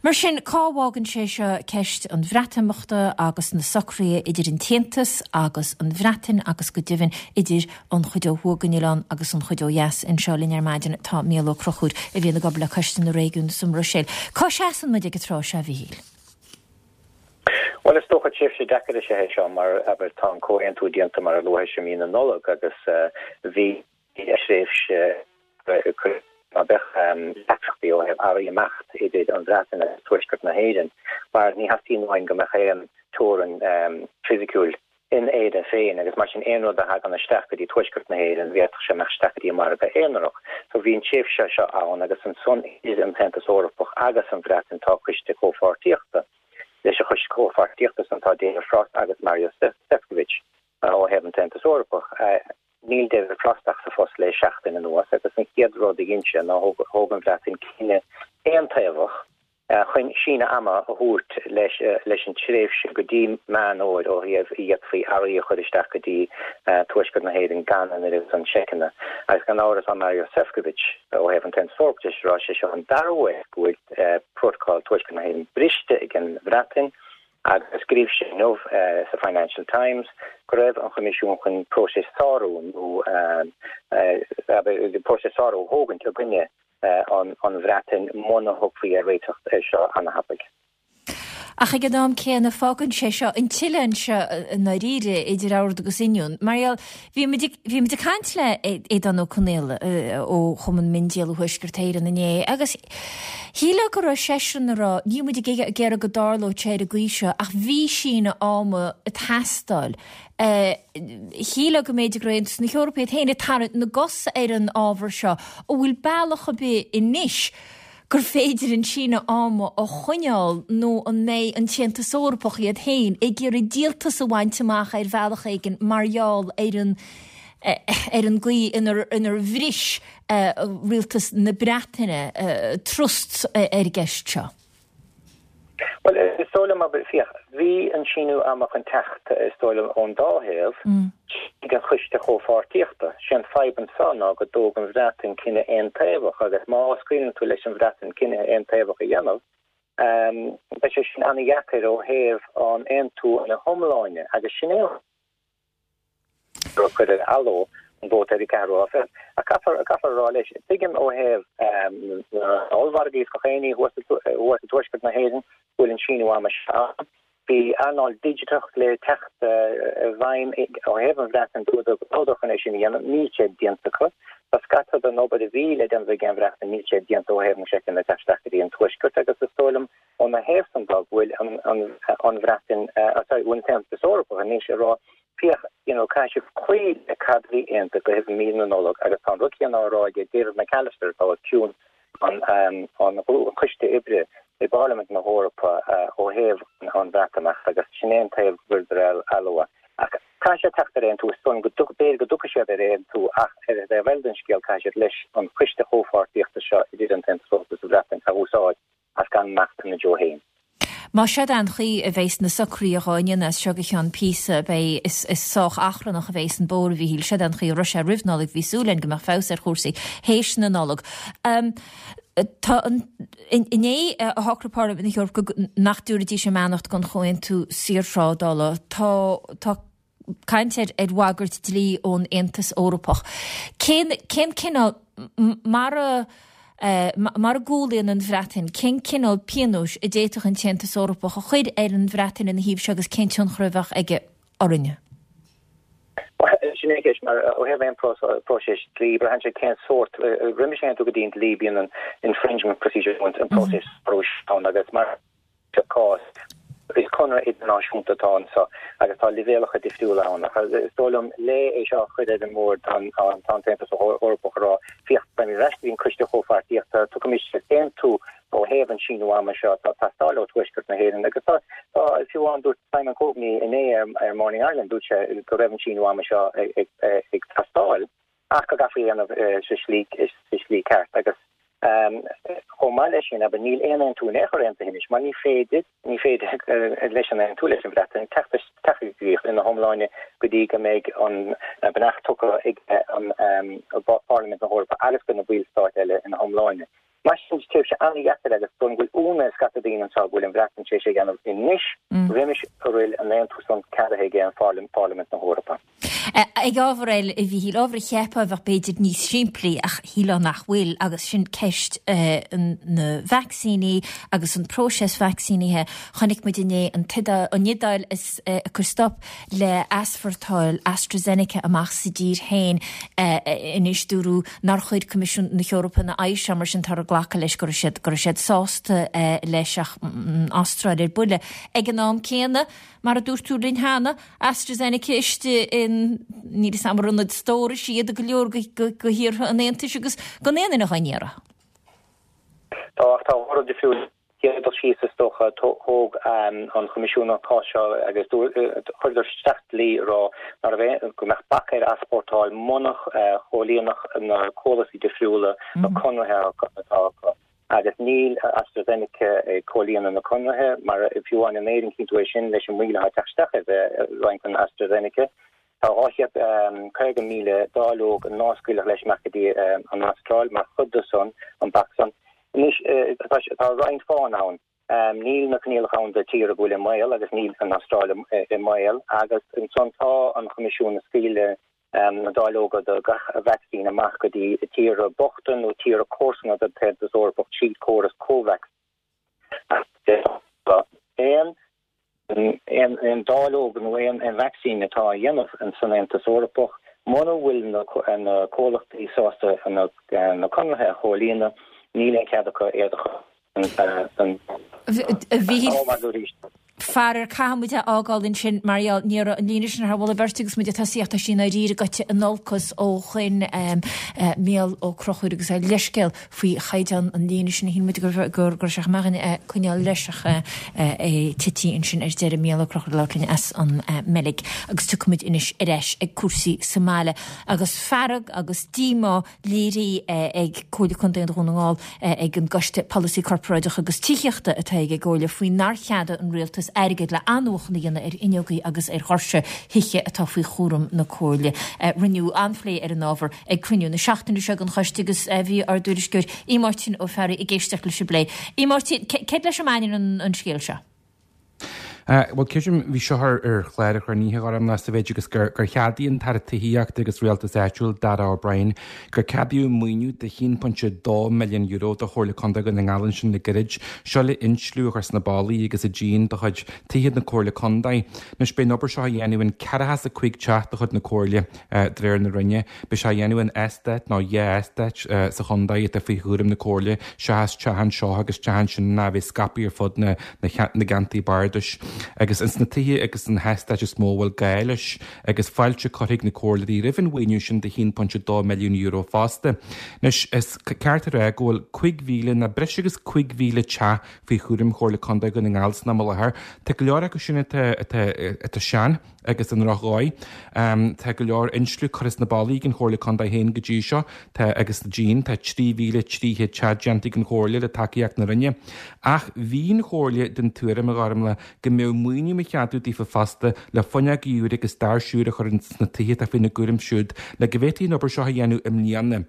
Mar sin, cá bhfágann sé seo ceist an Bhreatimeachta agus na socruithe idir an tAontas agus an Bhreatain agus go deimhin idir an chuid ó thuaidh den oileán agus an chuid ó dheas. Anseo linn ar maidin tá Mícheál Ó Conchúir a bhíonn ag obair le Coiste na Réigiún sa mBruiséil. Cá seasann muid ag an tráth seo, a Mhíchíl? Bhuel, is dócha tréimhse deacair is ea é seo mar, abair, tá an comhaontú déanta mar a luaigh tusa i mí na Nollag agus bhí tréimhse ná beadh deacrachtaí ó thaobh earraí imeacht idir an Bhreatain agus Tuaisceart na hÉireann mar ní theastaíonn uainn go mbeadh aon teorainn fisiciúil in Éirinn féin agus mar sin aon rud a thagann isteach go dtí Tuaisceart na hÉireann bhféadfadh sé imeacht isteach go dtí an margadh aonarach. So bhí an tréimhse seo ann agus ansan idir an tAontas Eorpach agus an Bhreatain tá Coiste Comhpháirtíochta. Leis an Choiste Comhpháirtíochta san tá David Frost agus Maros Sefcovic ó thaobh an tAontas Eorpach. Níl David Frost ach sa. le seachtain anuas agus an chéad rud a dhein sé ná thóg an Bhreatain cinneadh aontaobhach chun síneadh ama a thabhairt leis an tréimhse go dtí Meán Fhómhair ó thaobh a d'fhéadfaí earraí a chur isteach go dtí Tuaisceart na hÉireann gan an oiread san seiceanna. Agus gan amhras tá Maros Sefcovic ó thaobh an tAontas Eorpach de ag rá sé seo an dara huair go bhfuil Prótocol Tuaisceart na hÉireann briste ag an Bhreatain agus scríobh sé inniu sa Financial Times go raibh an Choimisiún chun próiseas sárú nó próiseas sárú a thógaint i gcoinne an Bhreatain muna thiocfaí ar réiteach air seo ana-thapaidh. Ach ag an am céanna fágann sé seo an t-oileán seo i ndáiríre idir ord agus oinniún. Mar gheall, bhí muid ag, bhí muid ag caint le Aodán Ó Conaola ó Chumann Miondíola Thuaisceart Éireann inné agus shílfeá go raibh seisean ag rá, níl muid ag iarraidh go dtarlódh sé ar an gcaoi seo ach bhí síneadh ama ag teastáil. Shílfeá go mb'fhéidir go raibh Aontas na hEorpa iad féin ag tarraingt na gcos ar an ábhar seo. An bhfuil bealach ar bith anois gur féidir an síneadh ama a choinneáil nó an mbeidh an tAontas Eorpach iad féin ag iarraidh díoltas a bhaint amach ar bhealach éigin mar gheall ar an ar an gcaoi inar inar bhris rialtas na Breataine trust ar an gceist seo. Bhuel, is dóigh liom, féach, bhí an síniú ama chun teacht, is dóigh liom, ón dá thaobh, tríd an Choiste Chomhpháirtíochta. Sé an fadhb anso ná go dtóg an Bhreatain cinneadh aontaobhach agus má scaoileann tú leis an Bhreatain cinneadh aontaobhach a dhéanamh, beidh sé sin an-dheacair ó thaobh an aontú ina hiomláine agus sin é an gur cuireadh aló an vóta ar an ceathrú lá fichead. Ach caithfear, caithfear a rá leis, tuigim ó thaobh na n-ollmhargaí is gach aon ní thuas i dtuaisceart na hÉireann go bhfuil an síniú ama seo ann. Bhí earnáil digiteach le teacht i bhfeidhm ó thaobh an Bhreatain dúradar go rabhadar chun é sin a dhéanamh, níl sé déanta acu. Tá scata den obair a bhí le déanamh ag an Bhreatain, níl sé déanta ó thaobh na seiceanna ag teacht isteach go dtí an tuaisceart agus is dóigh liom Óna thaobh san de, go bhfuil an Bhreatain, sorry, go bhfuil an tAontas Eorpach anois ag rá, féach, you know, caithfidh sibh cloí le cad a bhí aontaithe roimh mí na Nollag agus tá an rud céanna á rá ag David McAllister atá os cionn an an choiste oibre i bParlaimint na hEorpa ó thaobh an Bhreatimeachta agus sin é an taobh go bhfuileadar aló. Ach caithfidh siad teacht ar aontú, is dóigh liom go b'fhéidir go dtiocfaidh siad ar aontú ach ar an dtaobh eile den scéal caithfidh siad leis an choiste chomhpháirtíochta seo idir an tAontas Eorpach agus an Bhreatain a úsáid as gan imeacht ina dtreo féin. Más seod é an chaoi a bheas na socruithe dhá ndéanamh as seo go ceann píosa, beidh, is is sách achrannach a bheas an bóthar, a Mhíchíl. Seod é an chaoi a raibh sé roimh Nollaig, bhí súil againn go mbeadh feabhas ar chúrsaí théis na Nollag. Tá an, inné a shocraigh Parlaimint na hEorpa go, nach dtabharfaidís a mbeannacht don chomhaontú saorthrádála. Tá, tá caint ar ar bhagairt dlí ón Aontas Eorpach. Cén cén cineál, mara mara gcúlaíonn an Bhreatain, cén cineál pionóis a d'fhéadfadh an tAontas Eorpach a chur ar an Bhreatain ina thaobh seo agus cén tionchar a bheadh aige orainne? Sin é an cheist, mar ó thaobh aon próiseas dlí, braitheann sé cén sórt, roimis a théann tú go dtí an dlí bíonn an infringement procedure, an próiseas ann agus mar sa cás, is conradh idirnáisiúnta atá anseo agus tá leibhéalacha difriúla ann. Ach is dóigh liom, le é seo a chur ar an mbord, tá an tAontas Eorpach ag rá, féach, beimid ar ais go dtí an Coiste Chomhpháirtíochta, tiocfaimis ar aontú ó thaobh an síniú ama seo atá ag teastáil ó Tuaisceart na hÉireann. Agus tá, fiú amháin, dúirt Simon Coveney inné ar Morning Ireland, dúirt sé go raibh an síniú ama seo ag teastáil. ach go gcaithfí é a dhéanamh sa slí sa slí ceart agus chomh maith leis sin, abair, níl aon aontú in aon chor aontaithe anois mar ní féidir, ní féidir leis an aontú leis an Bhreatain teacht teacht i gcrích ina hiomláine go dtí go mbeidh an beannacht tugtha ag an Pharlaimint na hEorpa agus go na ballstáit eile ina hiomláine. Mar sin, tréimhse an-dheacair agus dóigh liom go bhfuil ionadh ar scata daoine anseo go bhfuil an Bhreatain tar éis é a dhéanamh anois roimis a bhfuil an aontú san ceadaithe ag Pharlaimint na hEorpa. Ag ábhar eile, a Mhíchíl, ábhar a cheapfá a bheadh b'fhéidir níos simplí ach shílfeá nach bhfuil agus sin ceist na vacsaíní agus an próiseas vacsaínithe. Chonaic muid inné an Iodáil ag cur stop le heaspórtáil AstraZeneca amach as a dtír féin anois. Dúradh nár chuir Coimisiún na hEorpa ina aghaidh seo mar sin táthar ag glacadh leis go raibh siad go raibh siad sásta leis ach an Astráil ar buile. Ag an am céanna, mar a dúirt tú linn cheana, AstraZeneca istigh in, níl 'fhios a'm ar ionaid stórais iad i go leor de thíortha an Aontais agus gan aon duine dhá n-iarraidh. Tá, ach tá dhá rud difriúil. Chéad dul síos, is dócha, thóg an Choimisiún an cás seo agus chuireadar isteach dlí ag rá ná raibh aon, go mbeadh bac ar easpórtáil muna chomhlíonfadh na comhlachtaí difriúla na conarthaí atá acu. Agus níl AstraZeneca ag comhlíonadh na conarthaí, mar fiú amháin in Éirinn, cíonn tú é sin leis an moill atá ag teacht isteach ar roinnt den AstraZeneca. Tá 250,000 dáileog ná scaoilfeadh leis amach go dtí an Astráil mar chuid de san, an bac san. Anois, tá roinnt fáthanna ann. Níl na coinníollacha ann do tír a bhfuil i mbaol agus níl an Astráil i mbaol agus ansan tá an Choimisiún ag scaoileadh na dáileoga do gach vacsaín amach go dtí tíortha bochta nó tíortha comharsana don tAontas Eorpach tríd córas Covax. Aon aon dáileog nó aon vacsaín atá á dhéanamh san Aontas Eorpach, mura bhfuil na comhlachtaí sásta na conarthaí a chomhlíonadh, níl aon chead acu iad a chur don A Mhíchíl, faraor caithfidh muid é a fhágáil ansin mar gheall ní raibh an líne sin thar mholadh beirte agus muid ag tosaíocht tá sí i ndáiríre gaibhte in olcas ó shoin Mícheál Ó Conchúir agus a leithscéal faoi chaighdeán an líne sin. Shíl muid go raibh sé chomh maith againn coinneáil leis ach é tití ansin ar deireadh. Mícheál Ó Conchúir ag labhairt linn as an mBeilg. Agus tiocfaidh muid anois ar ais ag cúrsaí sa mbaile. Agus fearg agus díomá léirithe ag Comhairle Contae Dhún na nGall ag an gCoiste Polasaí Corparáideach agus Tithíochta atá ag an gComhairle faoi nár cheadaigh an Rialtas airgead le athnuachan a dhéanamh ar fhuinneogaí agus ar dhoirse thithe atá faoi chúram na Comhairle. Rinneadh an-phlé ar an ábhar ag cruinniú na seachtaine seo den choiste agus bhí ár dtuairisceoir Aodh Máirtín Ó Fearraigh ag éisteacht leis an bplé. Aodh Máirtín, céard leis a mbaineann an scéal seo? Bhuel, creidim, bhí seo ar chlár an chruinnithe, a Ghormfhlaith, sa mhéid agus gur cheadaigh an tAire Tithíochta agus Rialtais Áitiúil, Darragh O'Brien, gur ceadaíodh maoiniú de €1.2 milliún do Chomhairle Contae Dhún na nGall ansin le gairid, seo le insliú a chur sna ballaí agus sa díon de chuid tithe na Comhairle Contae. Anois beidh an obair seo á dhéanamh in 45 teach de chuid na Comhairle. De réir na Roinne, beidh sé á dhéanamh in eastát nó dhá eastát sa chontae atá faoi chúram na Comhairle, seachas teach anseo agus teach ansin ná a bheith scaipthe ar fud na gceantair bardais. Agus ins na tithe agus sna heastáit is mó a bhfuil gá leis, agus fáilte curtha ag na comhairleoirí roimh an mhaoiniú sin de €1.2 milliún fosta. Anois, is ceart a rá go bhfuil 5,000, nó breis agus 5,000 teach faoi chúram Chomhairle Contae Dhún na nGall san am i láthair. Tá go leor acu sin atá sean. agus i ndrochdhóigh. Tá go leor insliú curtha sna ballaí ag an Chomhairle Contae féin go dtí seo, tá agus sa díon, tá 3,300 teach déanta ag an Chomhairle le tacaíocht na Roinne. Ach bhí an Chomhairle den tuairim, a Ghormfhlaith, go mbeadh maoiniú á cheadú daofa fosta le fuinneogaí úra agus doirse úra a chur sna tithe atá faoina gcúram siúd le go bhféadfaí an obair seo a dhéanamh i mbliana.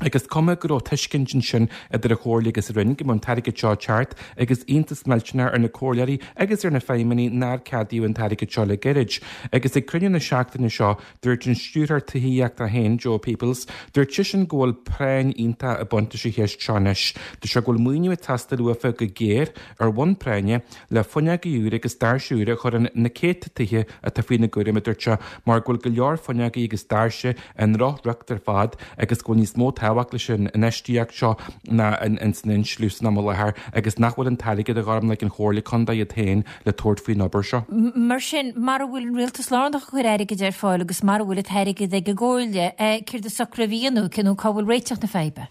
Agus cuma go raibh tuiscint ansin idir an Chomhairle agus an Roinn go mbeadh an t-airgead seo ag teacht agus iontas millteanach ar na comhairleoirí agus ar na feidhmeannaigh nár ceadaíodh an t-airgead seo le gairid. Agus ag cruinniú na seachtaine seo, dúirt an Stiúrthóir Tithíochta féin, Jo Peoples, dúirt seisean go bhfuil práinn iontach ag baint leis an cheist seo anois. Dúirt sé go bhfuil maoiniú ag teastáil uafa go géar, ar bhonn práinne, le fuinneogaí úra agus doirse úra a chur in na céadta tithe atá faoina gcúram, a dúirt sé, mar go bhfuil go leor fuinneogaí agus doirse i ndrochriocht ar fad agus go bhfuil níos mó tábhacht leis an infheistíocht seo ná ins an insliú san am i láthair agus nach bhfuil an t-airgead a Ghormfhlaith ag an Chomhairle Contae iad féin le tabhairt faoin obair seo. Mar sin, mara bhfuil an rialtas lárnach ag cur airgid ar fáil agus mara bhfuil an t-airgead ag an gComhairle, céard is socraithe a dhéanamh, nó cá bhfuil réiteach na faidhbe?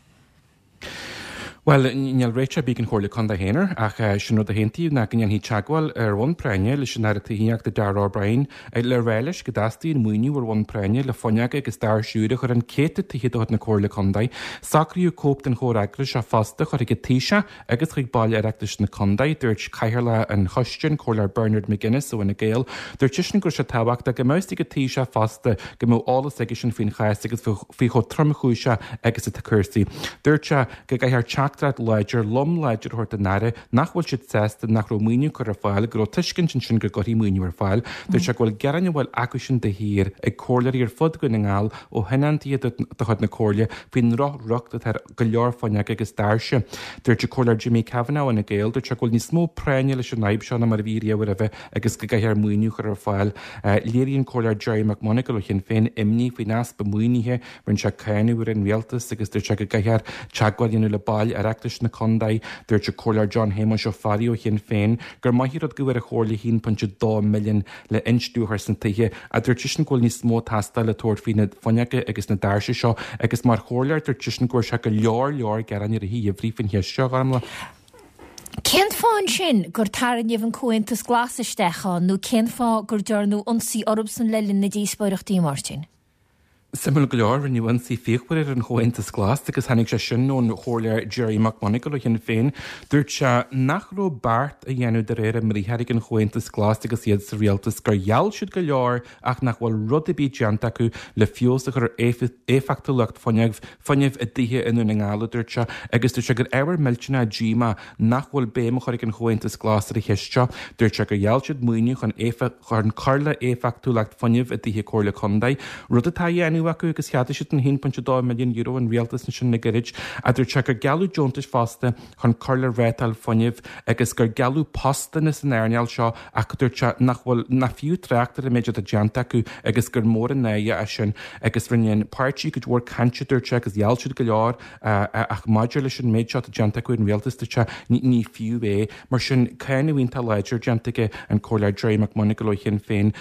Bhuel, níl réiteach ar bith ag an Chomhairle Contae féin air, ach sin rud a haontaíodh ná go ndéanfaí teagmháil ar bhonn práinne leis an Aire Tithíochta Darragh O'Brien le rá leis go dteastaíonn maoiniú ar bhonn práinne le fuinneoga agus doirse úra a chur in céadta tithe de chuid na Comhairle Contae. Socraíodh cóip den chomhfhreagras seo fosta a chur chuig an Taoiseach agus chuig baill Oireachtais na Contae. Dúirt Cathaoirleach an Choiste, an Comhairleoir Bernard McGuinness ó Fhine Gael, dúirt seisean go raibh sé tábhachtach go mbeadh fhios ag an Taoiseach fosta go mbeadh eolas aigesean faoin chás agus faoi chomh tromchúiseach agus atá cúrsaí. Dúirt sé go gcaithfear teachtaireacht láidir, lom láidir a thabhairt don Aire nach bhfuil siad sásta nach raibh maoiniú curtha ar fáil, go raibh tuiscint ansin go gcuirfí maoiniú ar fáil. Dúirt sé go bhfuil gearáin a bhfuil acusin de shíor ag comhairleoirí ar fud Dhún na nGall ó thionóntaithe de chuid na Comhairle faoin ndrochriocht atá ar go leor fuinneoga agus doirse. Dúirt an Comhairleoir Jimmy Kavanagh ó Fhine Gael, dúirt sé go bhfuil níos mó práinne leis an fhadhb seo ná mar a bhí riamh roimhe agus go gcaithfear maoiniú a chur ar fáil. Léirigh an Comhairleoir Gerry McMonagall ó Shinn Féin imní faoin easpa maoinithe, rinne sé cáineadh ar an rialtas agus dúirt sé go gcaithfear teagmháil a dhéanamh le baill Oireachtais na contae. Dúirt an Comhairleoir John Shéamuis Ó Fearraigh ó Shinn Féin gur maith an rud go bhfuair an Chomhairle 1.2 milliún le insliú a chur sna tithe ach dúirt seisean go bhfuil níos mó ag teastáil le tabhairt faoi na fuinneoga agus na doirse seo agus mar chomhairleoir dúirt seisean go bhfuair sé go leor leor gearáin i rith an gheimhridh faoin cheist seo, a Ghormfhlaith. Cén fáth ansin gur tarraingíodh an Comhaontas Glas isteach ann nó cén fáth gur dearnadh ionsaí orthusan le linn na díospóireachtaí, Máirtín? Suimiúil go leor, rinneadh ionsaí fíochmhar ar an Chomhaontas Glas agus tháinig sé sin ón Chomhairleoir Gerry McMonagall ó Shinn Féin. Dúirt sé nach raibh beart á dhéanamh de réir a mbriathair ag an Chomhaontas Glas agus iad sa rialtas, gur gheall siad go leor ach nach bhfuil rud ar bith déanta acu le feabhas a chur ar éifeachtúlacht fuinnimh i dtithe i nDún na nGall, a dúirt sé, agus dúirt sé gur ábhar millteanach díomá nach bhfuil béim á chur ag an Chomhaontas Glas ar an cheist seo. Dúirt sé gur gheall siad maoiniú chun chun cur le éifeachtúlacht fuinnimh i dtithe Comhairle Contae, rud atá á dhéanamh acu agus cheadaigh siad an €1.2 milliún ón rialtas ansin le gairid. Ach dúirt sé gur gealladh deontais fosta chun cur le rátáil fuinnimh agus gur gealladh postanna san earnáil seo ach dúirt sé nach bhfuil nach fiú trácht ar an méid atá déanta acu agus gur mór an náire é sin agus rinne an páirtí cuid mhór cainte dúirt sé agus gheall siad go leor ach maidir leis an méid seo atá déanta acu an rialtas dúirt sé ní fiú é. Mar sin cáineadh iontach láidir déanta aige an Comhairleoir Gerry McMonagall ó Shinn Féin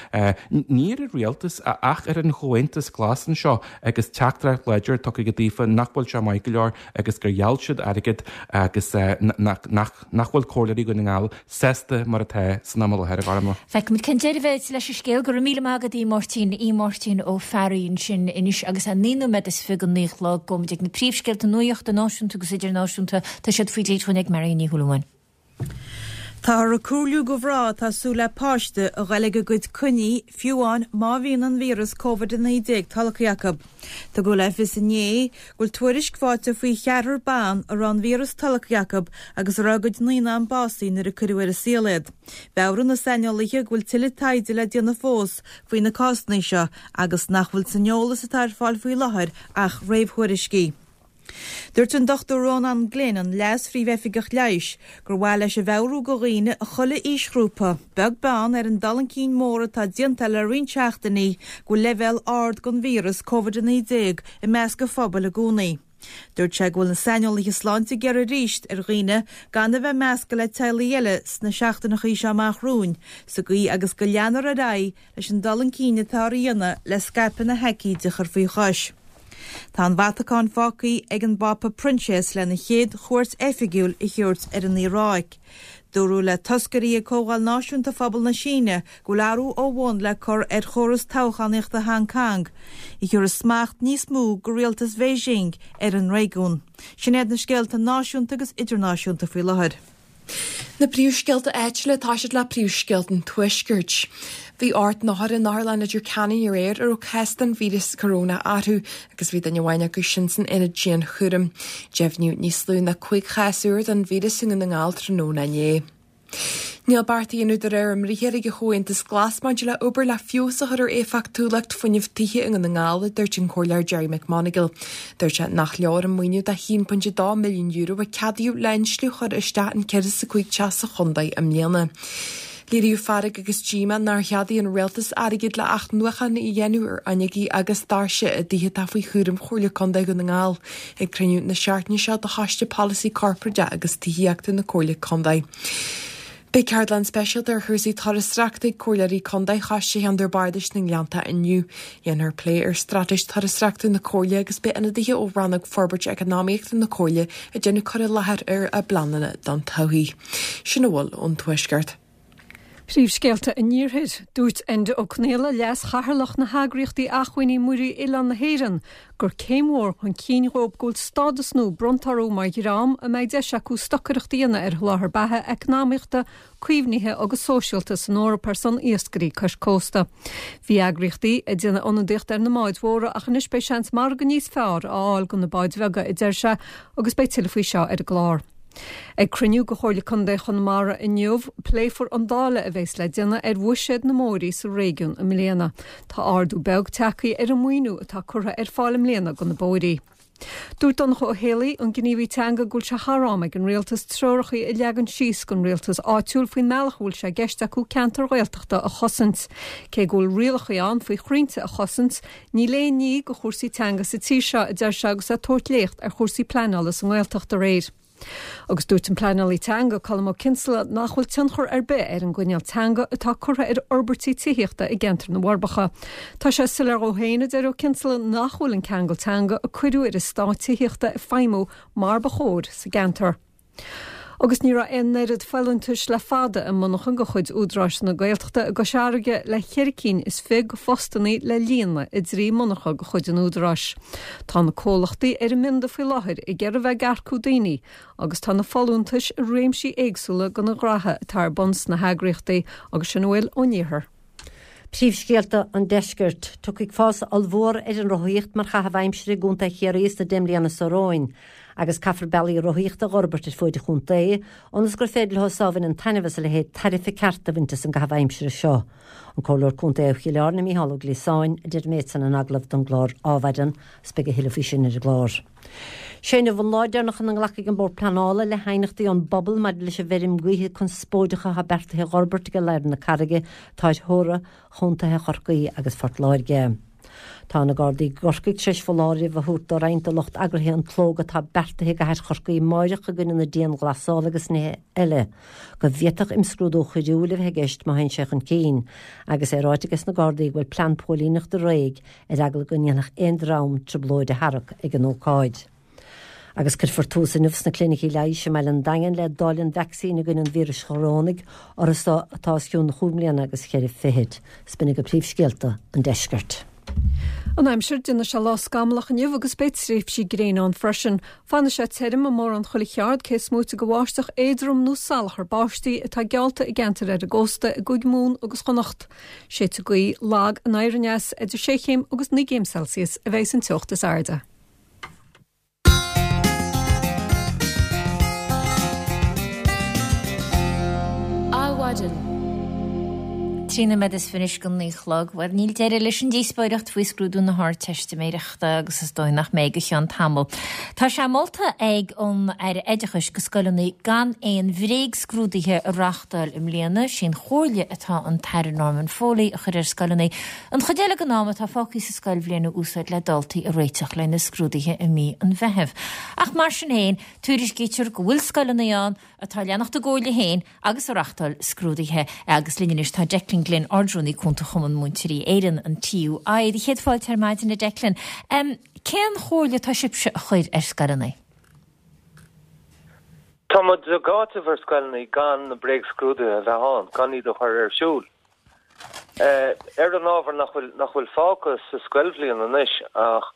ní ar an rialtas ach ar an Chomhaontas Glas anseo agus teachtaireacht láidir tugtha aige daofa nach bhfuil sé maith go leor agus gur gheall siad airgead agus nach bhfuil Comhairleoirí Dhún na nGall sásta mar atá san am i láthair, a Ghormfhlaith. Feicfimid cén deireadh a bheidh leis an scéal. Go raibh míle maith agat, a Mháirtín. A Mháirtín Ó Fearraigh ansin anois agus é 9 nóiméad is 20 go 9 a chlog. Gabhfaimid ag na príomhscéalta nuachta náisiúnta agus idirnáisiúnta. Tá siad faoi réir dúinn ag Marion Ní Shúilleabháin. Táthar ag comhairliú go mhná atá ag súil le páiste a ghoil ag a gcuid coinní, fiú amháin má bhíonn an víreas Covid-19 tolgtha acu. Tugadh le fios inné go bhfuil tuairisc faighte faoi cheathrar ban a raibh an víreas tolgtha acu agus a raibh a gcuid naíonán básaithe nuair a cuireadh ar an saol iad. Mheabhraigh na saineolaithe go bhfuil tuilleadh taighde le déanamh fós faoi na cásanna seo agus nach bhfuil san eolas atá ar fáil faoi láthair ach réamhthuairiscí. Dúirt an Dr Rónán Glynn, an Leas-Phríomhoifigeach Leighis, gur mhaith leis a mheabhrú go dhaoine i chuile aoisghrúpa, beag beann ar an dul chun cinn mór atá déanta le roinnt seachtainí, go bhfuil leibhéal ard den víreas Covid-19 i measc an phobail i gcónaí. Dúirt sé go bhfuil na saineolaithe sláinte ag iarraidh arís ar dhaoine gan a bheith measctha le teaghlaigh eile sna seachtaineachaí seo amach romhainn, sa gcaoi agus go leanfar ar aghaidh leis an dul chun cinn atá á dhéanamh le scaipeadh na haicíde a chur faoi chois. Tá an Vatacáin fágtha ag an bPápa Proinsias lena chéad chuairt oifigiúil a thabhairt ar an Iaráic. Dúradh le toscairí ag Comhdháil Náisiúnta Phobal na Síne go bhfuil athrú ó bhun le cur ar chóras toghchánaíochta Hong Kong, a thabharfas smacht níos mó go rialtas Bheijing ar an réigiún. Sin iad na scéalta náisiúnta agus idirnáisiúnta faoi láthair. Na príomhscéalta áitiúla tá siad le príomhscéalta an Tuaiscirt. Bhí 8 n-othar in Otharlann Leitir Ceanainn aréir a raibh cás den víreas corónach orthu agus bhí duine amháin acu sin san aonad dianchúraim. Deimhníodh níos lú ná 5 chás úr den víreas i nDún na nGall tráthnóna inné. Níl beart á dhéanamh de réir a mbriathair ag an Chomhaontas Glas maidir le obair le feabhas a chur ar éifeachtúlacht fuinnimh tithe i nDún na nGall, a dúirt an Comhairleoir Gerry McMonagall. Dúirt sé nach leor an maoiniú de €1.2 milliún a ceadaíodh le insliú a chur isteach in 105 teach sa chontae i mbliana. Léiríodh fearg agus díomá nár cheadaigh an rialtas airgead le athnuachan a dhéanamh ar fhuinneogaí agus doirse i dtithe atá faoi chúram Chomhairle Contae Dhún na nGall ag cruinniú na seachtaine seo de Choiste Polasaí Corparáideach agus Tithíochta na Comhairle Contae. Beidh ceardlann speisialta ar chúrsaí turasóireachta ag Comhairleoirí Contae Choiste Cheantar Bardais na nGleannta inniu. Dhéanfar plé ar straitéis turasóireachta na Comhairle agus beidh ionadaithe ó Rannóg Forbairt Eacnamaíochta na Comhairle ag déanamh cur i láthair ar a bpleananna don todhchaí. Sin a bhfuil ón Tuaisceart. Príomhscéalta an Iarthair. Dúirt Enda Ó Conaola, Leas-Chathaoirleach na heagraíochtaí Acmhainní Muirí Oileán na hÉireann, gur céim mhór chun cinn dhóibh go bhfuil stádas nua bronnta orthu mar dhream a mbeidh deis acu stocaireacht a dhéanamh ar sholáthar beatha eacnamaíochta, caomhnaithe agus sóisialta san Eoraip ar son iascairí cois cósta. Bhí eagraíochtaí ag déanamh ionadaíocht ar na mbáid mhóra ach anois beidh seans margadh níos fearr a fháil do na báid bheaga, a deir sé, agus beidh tuilleadh faoi seo ar an gclár. Ag cruinniú de Chomhairle Contae Chonamara inniu, pléifear an dáileadh a bheas le déanamh ar bhuiséad na mbóithrí sa réigiún i mbliana. Tá ardú beag tagtha ar an maoiniú atá curtha ar fáil i mbliana do na bóithrí. Dúirt Donncha Ó Héalaí, an gníomhaí teanga, go bhfuil sé thar am ag an Rialtas treoracha a leagan síos don rialtas áitiúil faoin mbealach a bhfuil sé i gceist acu ceantair Ghaeltachta a chosaint. Cé go bhfuil rialacha ann faoi chrainnte a chosaint, níl aon ní do chúrsaí teanga sa tír seo, a deir sé agus é ag tabhairt léacht ar chúrsaí pleanála sa nGaeltacht aréir. Agus dúirt an pleanálaí teanga, Colm Ó Cinnseala, nach bhfuil tionchar ar bith ar an gcoinníoll teanga atá curtha ar fhorbairtí tithíochta i gceantar na bhForbacha. Tá sé soiléir dhó féin, a deir Ó Cinnseala, nach bhfuil an ceangal teanga a cuireadh ar eastáit tithíochta ag feidhmiú mar ba chóir sa gceantar. Agus ní raibh aon oiread folúntais le fada i monarcha de chuid Údarás na Gaeltachta i gCois Fharraige le cheithre cinn is fi de phostannaí le líonadh i dtrí monarcha de chuid an Údaráis. Tá na comhlachtaí ar a mbionda faoi láthair ag iarraidh bheith ag earcú daoine agus tá na folúntais i réimsí éagsúla de na gnoithe atá ar bun sna heagraíochtaí agus sin a bhfuil ón iarthar. Príomhscéalta an Deiscirt. Tiocfaidh fás ollmhór ar an rothaíocht mar chaitheamh aimsire i gContae Chiarraí sna 10 mbliana seo romhainn agus caithfear bealaí rothaíochta a dh'fhorbairt ar fuaid an chontae ionas gur féidir leo so a bhaineann taitneamh as a leithéid tairbhe ceart a bhaint as an gcaitheamh aimsire seo. An Comhairleoir Contae ó Chill Airne, Mícheál Ó Gliasáin, a deir an méid san in agallamh don gclár Adhmhaidin agus beidh a thuilleadh faoi sin ar an gclár. Sé inniu an lá deireanach ina nglacfaidh an Bord Pleanála le haighneachtaí ón bpobal maidir leis an bhfeirm gaoithe conspóideach atá beartaithe a dh'fhorbairt ag lár na Carraige atá ar theora chontaetha Chorcaí agus Phort Láirge. Tá na Gardaí i gCorcaigh tar éis foláireamh a thabhairt do roinnt de lucht eagraithe an tslógadh atá beartaithe i gcathair Chorcaí amáireach i gcoinne na dianghlasála agus nithe eile, go bhféadfadh imscrúdú choiriúil a bheith i gceist má théann sé chun cinn, agus é ráite ages na Gardaí go bhfuil plean póilíneachta réidh ar eagla go ndéanfadh aon dream trioblóid a tharrac ag an ócáid. Agus cuirfear tús inniu sna clinicí leighis i mbaile an Daingin le dáileadh an vacsaín i gcoinne an víris chorónaigh orthu so atá os cionn chúig mbliana agus cheithre fichid. 'S b'in iad príomhscéalta an deiscirt. An aimsir, déanfaidh sé lá scamallach inniu agus beidh tréimhsí gréine ann freisin. Fanfaidh sé tirim i mórán chuile cheard cé is móite de bháisteach éadrom nó salachar báistí atá geallta i gceantair ar an gcósta i gCúige Mumhan agus Chonnacht. Séidfidh gaoth lag anoir aneas idir 6 chéim agus 9 gcéim Celsius a bheidh an teocht is airde. Adhmhaidin. 13 nóiméad anois go 9 a chlog. Bhuel, níl deireadh leis an díospóireacht faoi scrúdú na hArdteistiméireachta agus is dóigh nach mbeidh go cheann tamaill. Tá sé molta ag an Aire Oideachais go scoileanna gan aon bhréagscrúduithe a reáchtáil i mbliana. Sí an chomhairle atá an tAire Norman Foley a chur ar scoileanna an chuid eile den am atá fágtha sa scoilbhliain a úsáid le daltaí a réiteach le na scrúduithe i mí an Mheithimh. Ach mar sin féin, tuairiscítear go bhfuil scoileanna ann atá ag leanacht a gcomhairle féin agus ag reáchtáil scrúduithe. Agus linn anois tá Declan Glynn, Ardrúnaí Cúnta Chumann Múinteoirí Éireann, an TUI. Do chéad fáilte ar maidin, a Declan. Cén chomhairle atá sibhse a chur ar scoileanna? Tá muid ag áiteamh ar scoileanna gan na bréagscrúduithe a bheith ann, gan iad a chur ar siúl. Ar an ábhar nach bhfuil, nach bhfuil fágtha sa scoilbhliain anois ach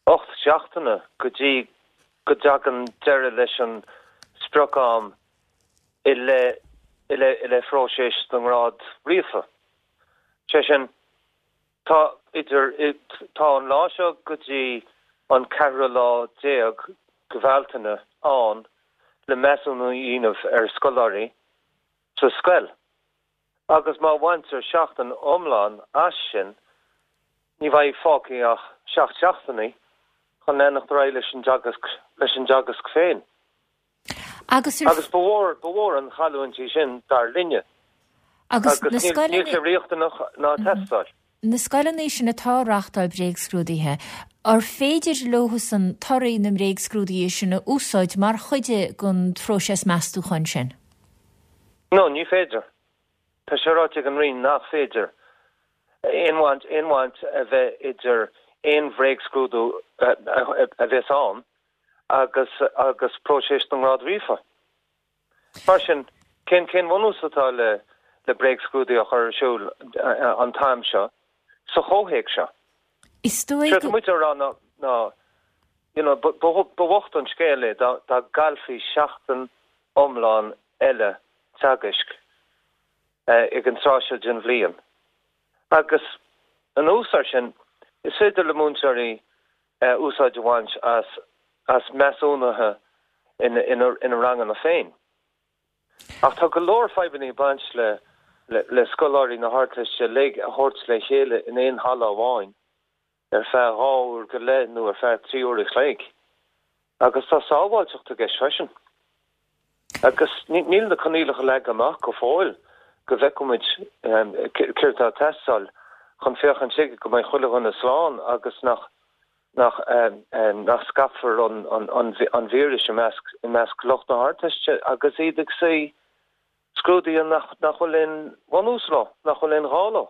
8 seachtaine go dtí go dtagann deireadh leis an sprioc-am i leith, i leith, i leith phróiseas na ngrád ríofa. Sé sin, tá idir, tá an lá seo go dtí an ceathrú lá déag de Bhealtaine ann le measúnú a dhéanamh ar scoláirí sa scoil. Agus má bhaintear seachtain iomlán as sin, ní bheidh fágtha ach seacht seachtainí chun leanacht ar aghaidh leis an dteagasc, leis an dteagasc féin. Agus ar. Agus ba mhór, ba mhór an chailliúint í sin, dar linne. Agus na Agus níl, scoileanna. níl sé riachtanach ná teastáil. Na scoileanna sin atá ag reáchtáil bréagscrúduithe, ar féidir leosan torthaí na mbréagscrúduithe sin a úsáid mar chuid den phróiseas meastúcháin sin? No, ní féidir. Tá sé ráite ag an Roinn nach féidir aon bhaint, aon bhaint a bheith idir aon bhréagscrúdú a bheas ann agus, agus próiseas na ngrád ríofa. Mar sin, cén, cén bhunús atá le, le bréagscrúdú a chur ar siúl an t-am seo sa chomhthéacs seo? Is dóigh go. Séard atá muid a rá ná, ná, you know, ba, ba, ba bhocht an scéal é dá, dá gcaillfí seachtain iomlán eile teagaisc ag an tráth seo den bhliain. Agus anuas air sin, is féidir le múinteoirí úsáid a bhaint as as measúnuithe ina ranganna féin. Ach tá go leor fadhbanna ag baint le le scoláirí na hArdteiste uilig a thabhairt le chéile in aon halla amháin ar feadh dhá uair go leith nó ar feadh 3 uair a chloig. Agus tá sábháilteacht i gceist freisin. Agus níl na coinníollacha leagtha amach go fóill go bhfeicfimid céard atá ag teastáil chun féachaint chuige go mbeidh chuile dhuine slán agus nach nach nach scaipfear an an víreas i measc i measc lucht na hArdteiste agus iad ag suí scrúduithe nach nach bhfuil aon bhunús leo, nach bhfuil aon ghá leo.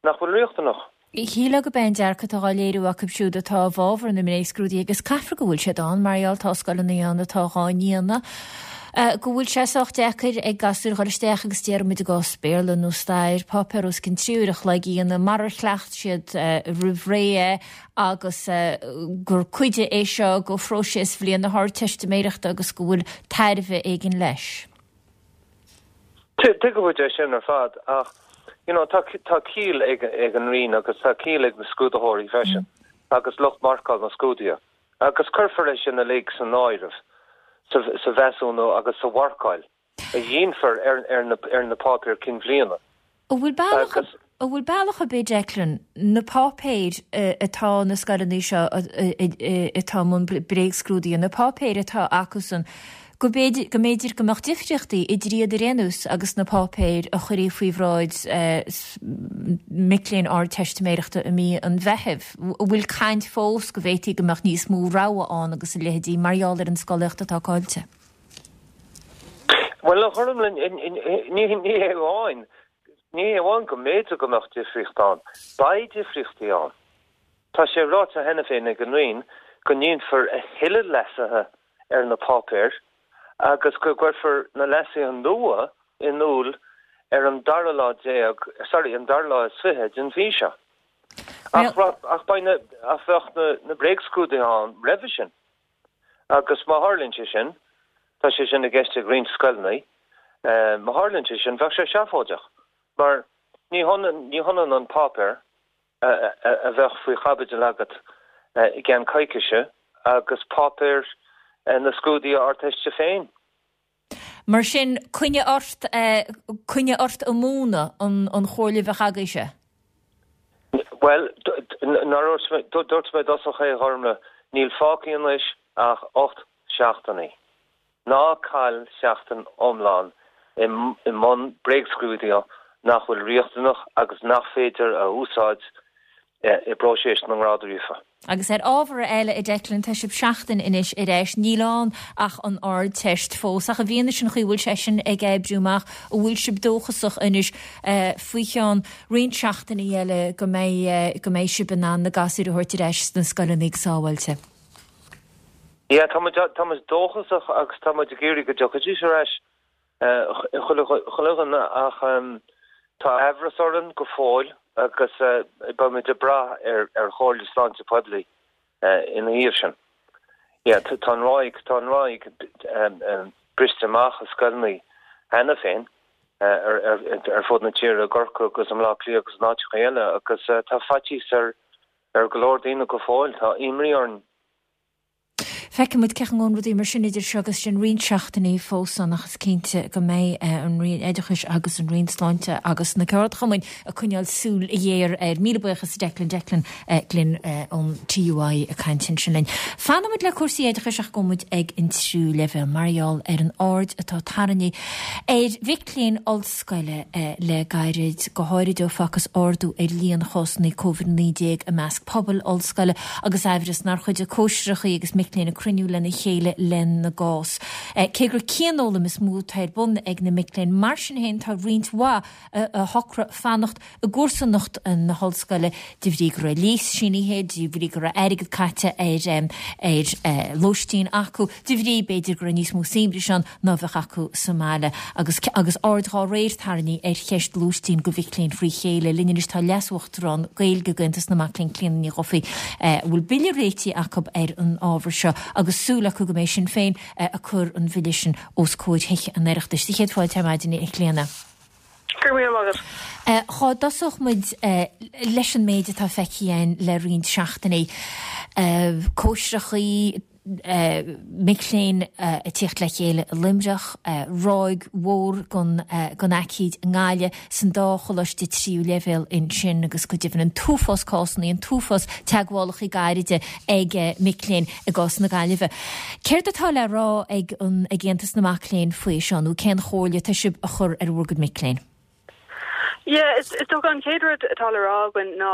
nach bhfuil riachtanach. Shílfeá gurb é an dearcadh atá á léiriú acu siúd atá i bhfabhar na mbréagscrúduithe, agus caithfear go bhfuil siad ann, mar gheall tá scoileanna ann atá dhá ndéanamh. Go bhfuil sé sách deacair ag gasúir dhul isteach agus déarfaimid i gcás Béarla nó Stair, páipéar os cionn 3 uair a chloig a dhéanamh marar chleacht siad roimh ré é agus gur cuid é seo de phróiseas bhliain na hArdteistiméireachta agus go bhfuil tairbhe éigin leis. Tuigimid é sin ar fad ach you know tá tá ciall ag ag an Roinn agus tá ciall ag na scrúdaitheoirí freisin agus lucht marcáil na scrúduithe. Agus cuirfear é sin uilig san áireamh sa mheasúnú agus sa mharcáil a dhéanfar ar na páipéir cinn bhliana. An bhfuil bealach an bhfuil bealach ar bith, Declan, na páipéir atá na scoileanna seo atá i mbun bréagscrúdaithe, na páipéir atá acusan, go mb'fhéidir go mb'fhéidir go mbeadh difríochtaí idir iad ar aon nós agus na páipéir a chuirfí faoi bhráid mic léinn Ardteistiméireachta i mí an Mheithimh. An bhfuil caint fós go bhféadfaí go mbeadh níos mó rogha ann agus a leithéidí mar gheall ar an scolaíocht atá caillte? Bhuel, a Ghormlaith, ní hé amháin, ní hé amháin go mb'fhéidir go mbeadh difríocht ann, beidh difríochtaí ann. Tá sé ráite cheana féin ag an Roinn go ndéanfar a thuilleadh leasuithe ar na páipéir agus go gcuirfear na leasuithe nua in iúl ar an dara lá déag, sorry, an dara lá is 20 den mhí seo. Ach, ach beidh na, ach bheadh na, na bréagscrúduithe ann roimhe sin. Agus má tharlaíonn sé sin, tá sé sin i gceist ag roinnt scoileanna, má tharlaíonn sé sin, bheadh sé seafóideach mar ní hionann, ní hionann an páipéar a bheadh faoi chaibidil agat i gceann coicíse agus páipéir na scrúduithe Ardteiste féin. Mar sin, coinnigh ort, coinnigh ort ag múineadh an chomhairle a bheadh agaibhse? Bhuel, nár dhúirt mé, dúirt mé i dtosach é, a Ghormlaith, níl fágtha anois ach 8 seachtainí. Ná caill seachtain iomlán i mbun bréagscrúduithe nach bhfuil riachtanach agus nach féidir a úsáid i bpróiseas na ngrád ríofa. Agus ar ábhar eile, a Declan, tá sibh seachtain anois ar ais, níl ann ach an Ardteist fós, ach i bhfianaise an chaoi a bhfuil sé sin ag oibriú amach, an bhfuil sibh dóchasach anois faoi cheann roinnt seachtainí eile go mbeidh go mbeidh sibh in ann na gasúir a thabhairt ar ais sna scoileanna go sábháilte? Yeah, tá muid, tá muid dóchasach agus tá muid ag iarraidh go dtiocfaidís ar ais chuile, chuile dhuine ach tá aimhreas orainn go fóill agus beidh muid ag brath ar, ar Chomhairle Sláinte Poiblí ina thaobh sin. Yeah, tá an ráig, tá an ráig briste amach i scoileanna cheana féin ar, ar, ar fud na tíre, i gCorcaigh agus i mBleá Cliath agus in áiteacha eile agus tá faitíos ar, Ar go leor daoine go fóill, tá imní orainn. Feicfidh muid cén chaoi a ngabhann rudaí mar sin idir seo agus sin roinnt seachtainí fós ann ach is cinnte go mbeidh an Roinn Oideachais agus an Roinn Sláinte agus na ceardchumainn ag coinneáil súil ghéar air. Míle buíochas a Declan, Declan Glynn ón TUI ag caint ansin linn. Fanfaidh muid le cúrsaí oideachais ach gabhfaidh muid ag an tríú leibhéal mar gheall ar an aird atá tarraingthe ar mhic léinn ollscoile le gairid, go háirid ó facthas ardú ar líon chásanna Covid-19 i measc pobail ollscoile agus aimhreas nár chuidigh cóisireacha agus mic léinn ag cruinniú lena chéile lena gcás. Cé gur cianfhoghlaim is mó atá ar bun ag na mic léinn, mar sin féin tá roinnt mhaith a shocraigh fanacht i gcomharsanacht na hollscoile de bhrí go raibh léas sínithe, de bhrí go raibh airgead caite ar ar lóistín acu, de bhrí, b'fhéidir, go raibh níos mó saibhris ann ná a bheadh acu sa mbaile. Agus agus aird dhá réir tarraingthe ar cheist lóistín do mhic léinn frí chéile. Linn anois tá Leas-Uachtarán Gaeilge d'Aontas na Mac Léinn, Clíona Ní Dhufaigh, a bhfuil bille réitithe acu ar an ábhar seo agus súil acu go mbeidh Sinn Féin ag cur an bhille sin os comhair Thithe an Oireachtais. Sé chéad fáilte ar maidin, a Chlíona. Go raibh míle maith agat. Dhá dtosódh muid leis an méid atá feicthe againn le roinnt seachtainí, cóisireachaí, mic léinn ag tíocht le chéile i Luimneach, ráig mhór den aicíd i nGaillimh, san dá choláiste tríú leibhéal ansin agus go deimhin an t-uafás cásanna, an t-uafás teagmhálacha gairide ag mic léinn i gcás na Gaillimhe. Céard atá le rá ag an ag Aontas na Mac Léinn faoi seo nó cén chomhairle atá sibh a chur ar bhur gcuid mic léinn? Yeah, is is dócha an chéad rud atá le rá againn ná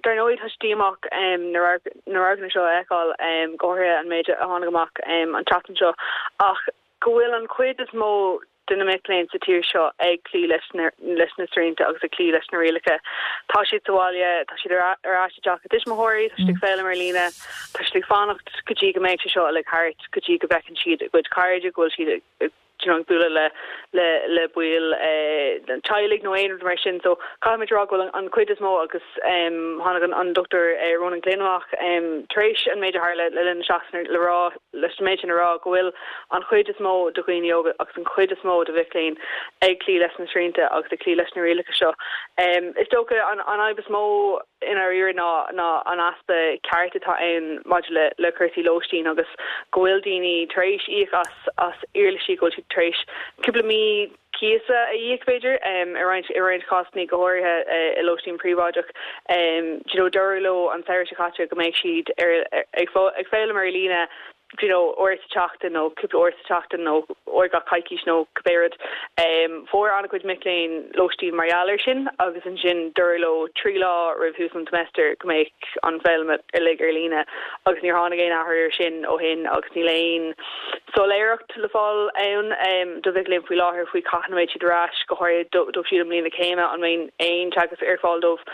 dar ndóigh tá sé díomách na na radharcanna seo a fheiceáil, go háirithe an méid a tháinig amach an tseachtain seo ach go bhfuil an chuid is mó de na mic léinn sa tír seo ag cloí leis na leis na srianta agus ag cloí leis na rialacha. Tá siad sa bhaile, tá siad ar ar ais i dteach a dtuismitheoirí, tá siad ag foghlaim ar líne, tá siad ag fanacht go dtí go mbeidh sé seo uilig thart, go dtí go bhfeiceann siad a gcuid cairde, go bhfuil siad ag. you know ag bualadh le le le baill an teaghlaigh nó aon rud mar sin. So caithfimid a rá go bhfuil an chuid is mó agus tháinig an Dr Ronan Glynn amach tar éis an méid a tharla le linn na seachtaine le rá leis an méid sin a rá go bhfuil an chuid is mó de dhaoine óga agus an chuid is mó de mhic léinn ag cloí leis na srianta agus ag cloí leis na rialacha seo. Is dócha an fhadhb is mó i ndáiríre ná ná an easpa ceart atá ann maidir le le cúrsaí lóistín agus go bhfuil daoine tar éis íoc as as éarlaisí go bhfuil siad tar éis cúpla mí cíosa a íoc, b'fhéidir, i roinnt i roinnt cásanna, go háirithe i lóistín príobháideach. Do you know, dúradh leo an samhradh seo caite go mbeadh siad ar ag ag foghlaim ar líne do you know, uair sa tseachtain nó cúpla uair sa tseachtain nó uair gach coicís nó cibé rud. Fuair an-chuid mic léinn lóistín mar gheall air sin agus ansin dúradh leo 3 lá roimh thús an tseimeastair go mbeadh an foghlaim uilig ar líne agus níor tháinig aon athrú air sin ó shin agus níl aon soiléireacht le fáil ann do mhic léinn faoi láthair faoi cathain a mbeidh siad ar ais, go háirithe dóibh siúd i mbliain na céime, an mbeidh aon teagasc ar fáil dóibh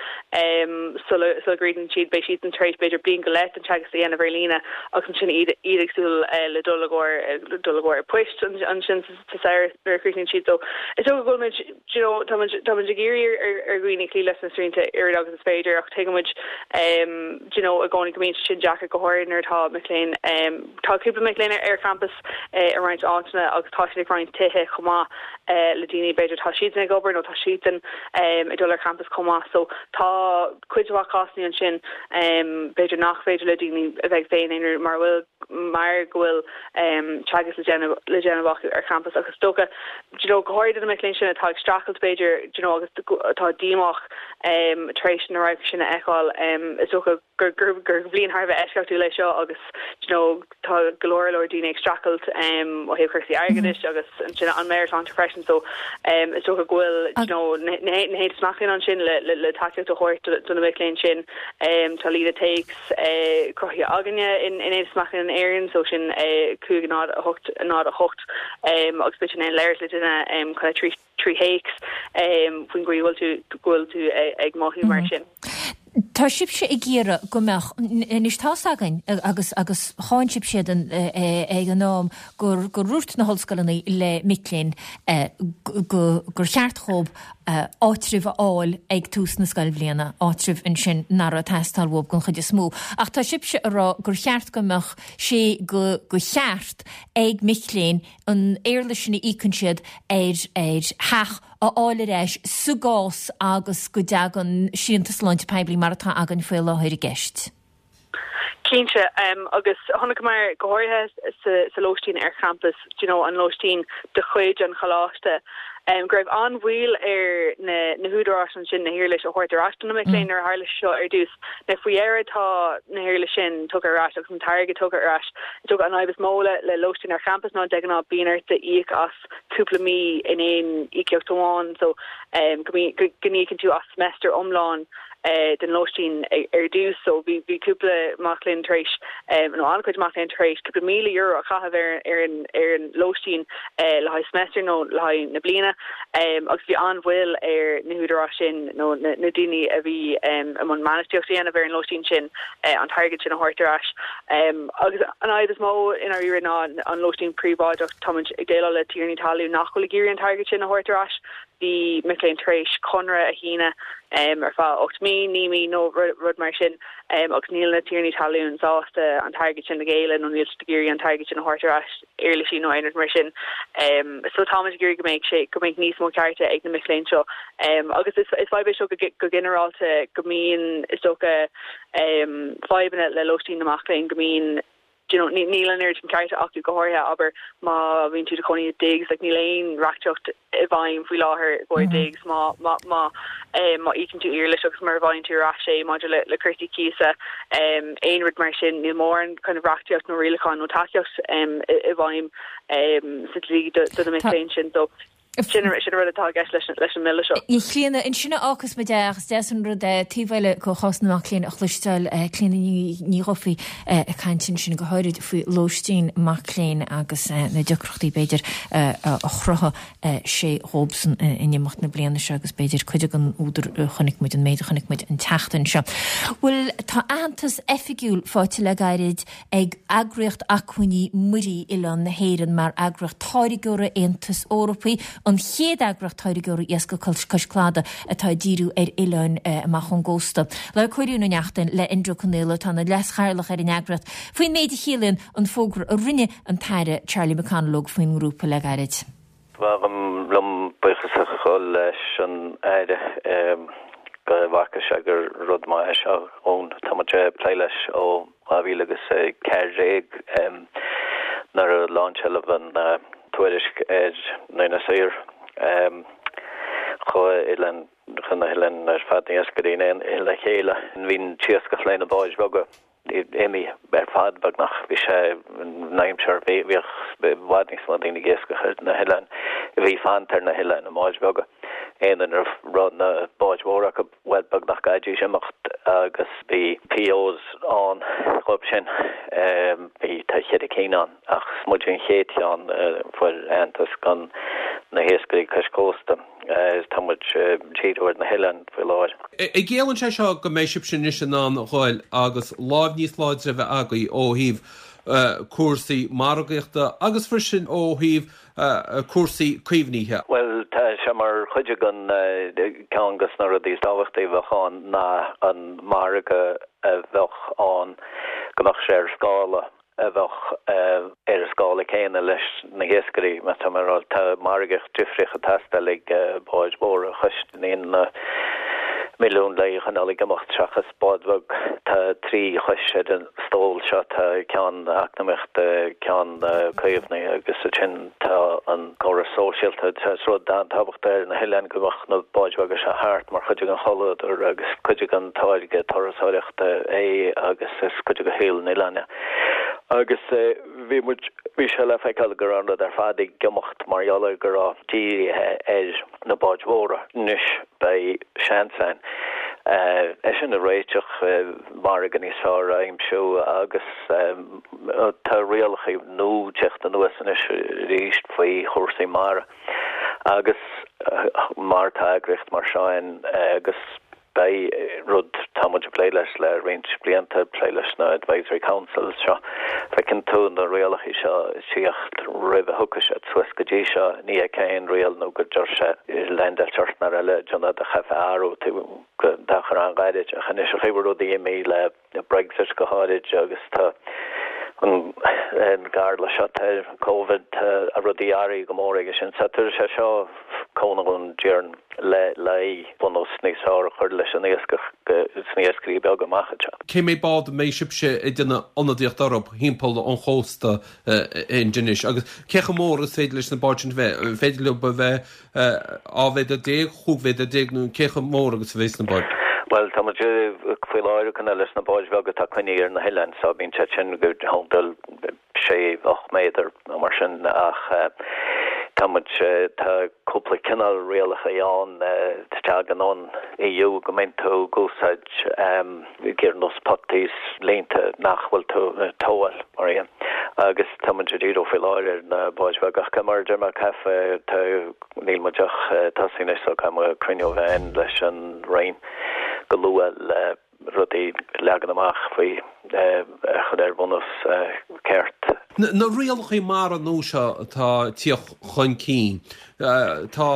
sula gcríochnaíonn siad. Beidh siadsan tar éis b'fhéidir bliain go leith den teagasc a dhéanamh ar líne agus ansin iad ag súil le dul i gcomhair dul i gcomhair poist ansin sa samhradh nuair a chríochnaíonn siad. So is dócha go bhfuil muid, do you know, tá muid tá muid ag iarraidh ar ar dhaoine cloí leis na srianta oiread agus is féidir ach tuigeann muid, do you know, i gcónaí go mbíonn sé sin deacair go háirithe nuair atá mic léinn Tá cúpla mic léinn ar champas i roinnt áiteanna agus tá siad ag roinnt tithe chomh maith le daoine, b'fhéidir tá siadsan ag obair nó tá siadsan ag dul ar champas chomh maith. So tá cuid mhaith cásanna ansin b'fhéidir nach féidir le daoine a bheith féin aonair mar bhfuil mar go bhfuil teagasc le déanamh le déanamh acu ar champas agus is dócha do you know go háirithe do na mic léinn sin atá ag streachailt b'fhéidir do you know agus atá díomách tar éis na radhairc sin a fheiceáil is dócha gur gur bhliain thar a bheith eisceachtúil é seo agus do you know tá go leor leor daoine ag streachailt ó thaobh cúrsaí airgeadais agus ansin an meabhairshláinte freisin so is dócha go bhfuil do you know na haontais mac léinn ansin le le le tacaíocht a thabhairt do na mic léinn sin. Tá líne téacs cruthaithe againne in in Aontas Mac Léinn in Éirinn so sin 5 0 8 0 8 agus beidh tú in ann labhairt le duine kind of 3 théacs faoin gcaoi a bhfuil tú go bhfuil tú ag mothú mar sin. Tá sibhse ag iarraidh go mbeadh, anois tá's againn agus agus cháin sibhse iad ag an am gur gur dhúirt na hollscoileanna le mic léinn go gur cheart dhóibh áitreabh a fháil ag tús na scoilbhliana, áitreabh ansin nach raibh ag teastáil uathub den chuid is mó. Ach tá sibhse ag rá gur cheart go mbeadh sé go go cheart ag mic léinn an éarlais sin a íocann siad ar ar theach a fháil ar ais sa gcás agus go dtagann srianta sláinte poiblí mar atá againn faoi láthair i gceist. Cinnte, agus chonaiceamar go háirithe sa lóistín ar champas, do you know, an lóistín de chuid an choláiste, go raibh an-mhoill ar na húdaráis ansin na héarlais a thabhairt ar ais do na mic léinn nuair a tharla sé seo ar dtús. Now faoi dheireadh tá na héarlais sin tugtha ar ais agus an t-airgead tugtha ar ais. Is dócha an fhadhb is mó le le lóistín ar champas ná de ghnáth bíonn ort íoc as cúpla mí in aon íocaíocht amháin so go go n-íocann tú as semester iomlán den lóistín ar dtús. So bhí bhí cúpla mac léinn tar éis nó an-chuid mac léinn tar éis cúpla €1,000 a chaitheamh ar ar an ar an lóistín le haghaidh semester nó le haghaidh na bliana agus bhí an-mhoill ar na húdaráis sin nó na na daoine a bhí i mbun bainistíocht a dhéanamh ar an lóistín sin an t-airgead sin a thabhairt ar ais. Agus an fhadhb is mó i ndáiríre ná an lóistín príobháideach. Táimid ag déileáil le tiarnaí talún nach bhfuil ag iarraidh an t-airgead sin a thabhairt ar ais. Bhí mic léinn tar éis conradh a shíneadh ar feadh 8 mí, 9 mí nó rud mar sin agus níl na tiarnaí talún sásta an t-airgead sin a ghéilleadh nó níl siad ag iarraidh an t-airgead sin a thabhairt ar ais, éarlaisí nó aon rud mar sin. So táimid ag iarraidh go mbeidh sé, go mbeidh níos mó cearta ag na mic léinn seo. Agus is fadhb é seo go ginearálta go mbíonn, is dócha, fadhbanna le lóistín na mac léinn, go mbíonn, do you know, níl an oiread sin cearta acu, go háirithe, abair, má bhíonn tú i do chónaí i digs, like, níl aon reachtaíocht i bhfeidhm faoi láthair i gcomhair digs má, má, má, má íocann tú iarlais agus mura bhfaigheann tú ar ais é maidir le, le cúrsaí cíosa, aon rud mar sin, níl mórán kind of reachtaíocht nó rialachán nó tacaíocht i, i bhfeidhm sa dlí do, do na mic léinn sin, so. Sin an rud atá i gceist leis an mbille seo. A Chlíona, ansin a fhágfas muid é ach is deas an rud é taobh eile de chás na mac léinn a chloisteáil, Clíona Ní Dhufaigh ag caint ansin go háirid faoi lóistín mac léinn agus na deacrachtaí b'fhéidir a chruthaigh sé dhóibhsan in imeacht na bliana seo agus b'fhéidir cuid den údar a chonaic muid, an méid a chonaic muid an tseachtain seo. Bhuel, tá aitheantas oifigiúil faighte le gairid ag Eagraíocht Acmhainní Muirí Oileáin na hÉireann mar eagraíocht táirgeora Aontais Eorpaigh, an chéad eagraíocht táirgeora iascaigh cois cladaigh atá ag díriú ar oileáin amach ón gcósta. Labhair Cóilín Ó Neachtain le Enda Ó Conaola, atá ina leas-chathaoirleach ar an eagraíocht, faoin méid a chiallaíonn an fógra a rinne an tAire Charlie McConalogue faoin ngrúpa le gairid. Ba mhaith liom buíochas a ghabháil leis an Aire go bhfaca sé gur rud maith é seo dhúinn. Tá muid ag plé leis ó 2014 nuair a láinseáladh an tuairisc ar ndaoine saor. Chuaigh oileán, chuaigh na hoileáin ar fad, na hiascairí in aon le chéile. Bhí an t-iascach leis na báid bheaga. imithe ar fad beagnach. Bhí sé in aimsir, bhíodh i bhfad níos mó daoine ag iascach ar na hoileáin, a bhí fanta ar na hoileáin i mbáid bheaga. Aon duine a raibh na báid mhóra acu, bhuel, beagnach gcaithfidís imeacht agus bhí POs ann dhóibh sin. Bhí, tá cheithre cinn ann ach is muid an chéad cheann a fuair aitheantas do na hiascairí cois cósta. Tá muid ag díriú ar na hoileáin faoi láthair. An gciallaíonn sé seo go mbeidh sibhse anois in ann a ghoil agus láimh níos láidre a bheith agaibh ó thaobh cúrsaí margaíochta agus freisin ó thaobh cúrsaí caomhnaithe? Bhuel, tá sé mar chuid den ceann de na rudaí is tábhachtaí a bheadh ann ná an margadh a bheadh ann go mbeadh sé ar scála. a bheadh ar an scála céanna leis na hiascairí, má tá mé a rá. Tá margaíocht difríoch ag teastáil ag báid mhóra a chosnaíonn na milliúin le choinneáil ag imeacht seachas bád bheag. Tá 3 chois ar an stól seo, tá ceann eacnamaíochta, ceann caomhnaithe agus ansin tá an córas sóisialta. Is rud an-tábhachtach ar na hoileáin go mbeadh na báid bheaga seo thart mar chuid den chultúr agus cuid den táirge turasóireachta. é agus is cuid de shaol an oileáin é. Agus bhí muid, bhí sé le feiceáil go raibh an rud ar fad ag imeacht mar gheall ar go raibh dírithe ar na báid mhóra. Anois beidh seans ann é sin a réiteach, margadh níos fearr a aimsiú agus tá rialacha nua ag teacht anuas anois arís faoi chúrsaí mara agus mar tá eagraíocht mar seo ann agus Beidh rud, tá muid ag plé leis le roinnt blianta, plé leis na Advisory Councils seo. Feiceann tú na rialacha seo ag tíocht roimh a thiocfadh siad suas go dtí seo, ní fheicfeá aon riail nó go deir sé leaindeáilte ort nó eile, déanamh do chaithfeá athrú go d'achar an-ghairid. Ach anois an chaoi a bhfuil rudaí imithe le Brexit go háirid agus tá an gcarla seo, tá Covid, tá rudaí athraithe go mór aige sin. So tabharfaidh sé seo cúnamh dhúinn déarfainn le le bunús níos fearr a chur leis an iascach sna iascairí beaga amach anseo. Cé mhéad bád a mbeidh sibhse ag déanamh ionadaíocht orthu thimpeall an chósta in Inis agus cé chomh mór is féidir leis na báid sin a bheith? An féidir leo a bheith 12 mhéadar, 15 mhéadar nó cé chomh mór agus a bheas na báid? Bhuel, tá muid faoi láthair ag coinneáil leis na báid bheaga atá coinnithe ar na hoileáin so bíonn siad sin go thimpeall sé, 8 méadar nó mar sin ach tá muid, tá cúpla cineál rialacha ann a tagann ón EU go mbíonn tú ag úsáid giar nós putties, línte nach bhfuil tú ag tomhailt mar dhea. Agus tá muid ag díriú faoi láthair ar na báid bheaga ach mar a deir mé caithfidh tá níl muid ach ag tosú anois so caithfidh muid cruinniú a bheith againn leis an Roinn go luath le rudaí a leagan amach faoi a chur ar bhunús ceart. Na rialacha mara nua seo atá ag tíocht chun cinn, tá,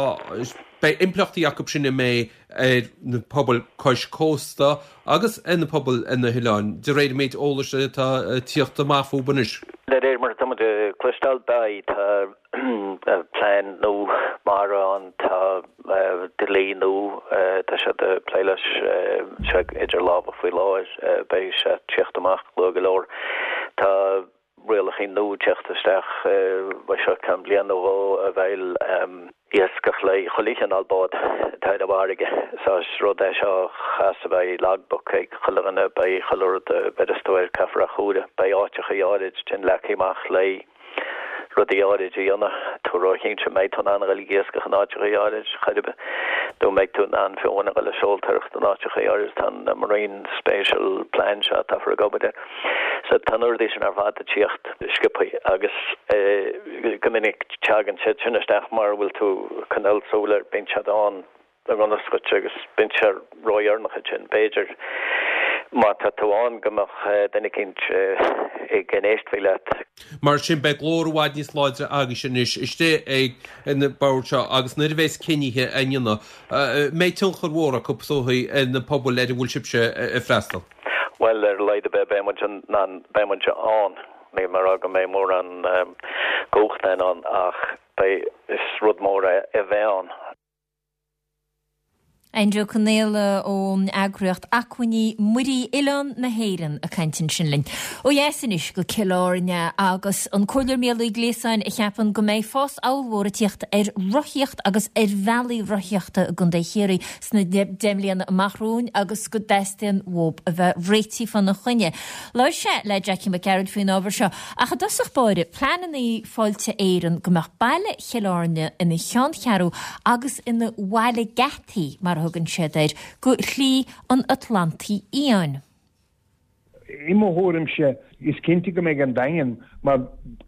beidh impleachtaí acu sin a mbeidh ar na pobail cois cósta agus ar na pobail ar na hoileáin, de réir an méid eolais atá ag tíocht amach fúthu anois. De réir mar atá muid ag cloisteáil, beidh. Tá plean nua mara ann, tá dlí nua, tá siad ag plé leis, sé idir lámha faoi láthair, beidh sé ag tíocht amach luath go leor. Tá rialacha nua ag teacht isteach, beidh seo ceann bliain nó dhó a bheidh iascach le chuile chineál bád atá ar an bhfarraige. So is rud é seo chas a bheidh logbook ag chuile dhuine, beidh chuile rud a bheireas tú air, caithfear a chomhaireamh, beidh áiteacha áirid sin leagtha amach le rudaí áirid a dhéanamh. tú róchinnte an mbeidh tú in ann a dhul ag iascach in áiteachaí áirid chor ar bith, nó an mbeidh tú in ann fiú amháin a dhul ag seoltóireacht in áiteachaí áirid. Tá an Marine Spatial Plan seo atáthar ag obair air. So tá na rudaí sin ar fad ag tíocht sciobthaí agus go minic teagann siad sin isteach mura bhfuil tú ag coinneáil súil air, bíonn siad ann i ngan fhios dhuit agus bíonn sé ródheireanach ansin. B'fhéidir má tá tú ann go mbeadh duine eicínt ag éisteacht leat. Mar sin beidh glór i bhfad níos láidre agaibhse anois istigh ag na boird seo agus nuair a bheas cinnithe á ndéanamh, mbeidh tionchar mhór acu is dóichí ar na pobail ar a bhfuil sibhse ag freastal. Bhuel, ar a laghad ar bith beidh muid in ann, beidh muid ann. Níl mé ag rá go mbeidh mórán cumhachta ann ach beidh, is rud mór é a bheith ann. Enda Ó Conaola ón eagraíocht Acmhainní Muirí Oileán na hÉireann ag caint ansin linn. Ó dheas anois go Cill Airne agus an Comhairleoir Mícheál Ó Gliasáin a cheapann go mbeidh fás ollmhór ag tíocht ar rothaíocht agus ar bhealaí rothaíochta i gContae Chiarraí sna 10 mbliana amach romhainn agus go dteastaíonn uathu a bheith réitithe fána choinne. Labhair sé le Jackie Mac Gearailt faoin ábhar seo ach i dtosach báire, pleananna Fáilte Éireann go mbeadh baile Chill Airne ina cheanncheathrú agus ina bhaile geataí, mar a thugann siad air, go Shlí an Atlantaigh Fhiáin. I mo thuairimse, is cinnte go mbeidh an Daingean mar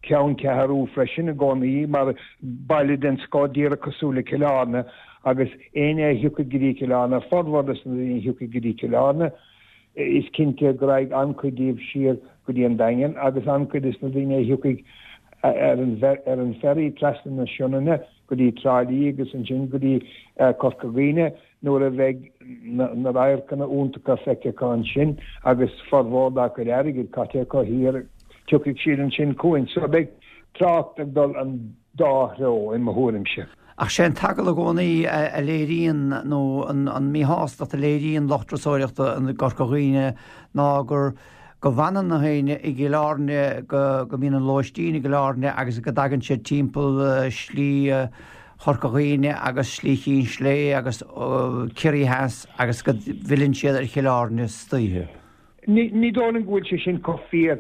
cheanncheathrú freisin i gcónaí, mar baile den scoth díreach cosúil le Cill Airne agus éinne a thiocfaidh go dtí Cill Airne, formhór de na daoine a thiocfaidh go dtí Cill Airne, is cinnte go raghaidh an-chuid díobh siar go dtí an Daingean agus an-chuid de na daoine a thiocfaidh ar an ferry trasna na Sionainne go dtí Trá Lí agus ansin go dtí Corca Dhuibhne nuair a bheidh na radharcanna iontacha feicthe acu ansin agus formhór dá gcuid airgid caite acu thiar, tiocfaidh siad ansin chugainn. So beidh trácht ag dul an dá threo, i mo thuairimse. Ach sé an t-eagal i gcónaí a léiríonn, nó an míshástacht a léiríonn lucht turasóireachta i gCorca Dhuibhne ná gur go bhfanann na daoine i gCill Airne, go go mbíonn an lóistín i gCill Airne agus go dtagann siad timpeall Slí Chorca Dhuibhne agus Slí Chinn Slé agus Ciarraí Theas agus go bhfilleann siad ar Chill Airne istoíche. Ní dóigh liom go bhfuil sé sin chomh fíor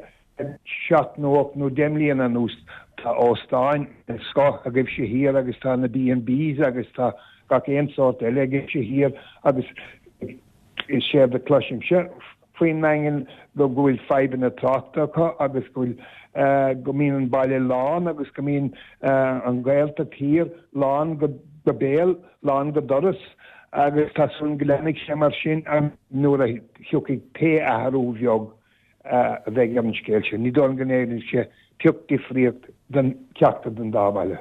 7 nó 8 nó 10 mbliana anuas tá óstáin den scoth agaibhse thiar agus tá na B&Bs agus tá gach aon sórt eile agaibhse thiar agus is séard a chloisimse faoin nDaingean go bhfuil fadhbanna tráchta acu agus go bhfuil go mbíonn an baile lán agus go mbíonn an Ghaeltacht thiar lán go béal, lán go doras agus tá súil go leanfaidh sé mar sin nuair a thiocfaidh pé athrú bheag a bheidh ar an scéal sin. Ní dóigh liom go ndéanfaidh sé pioc difríocht don cheachtar den dá bhaile.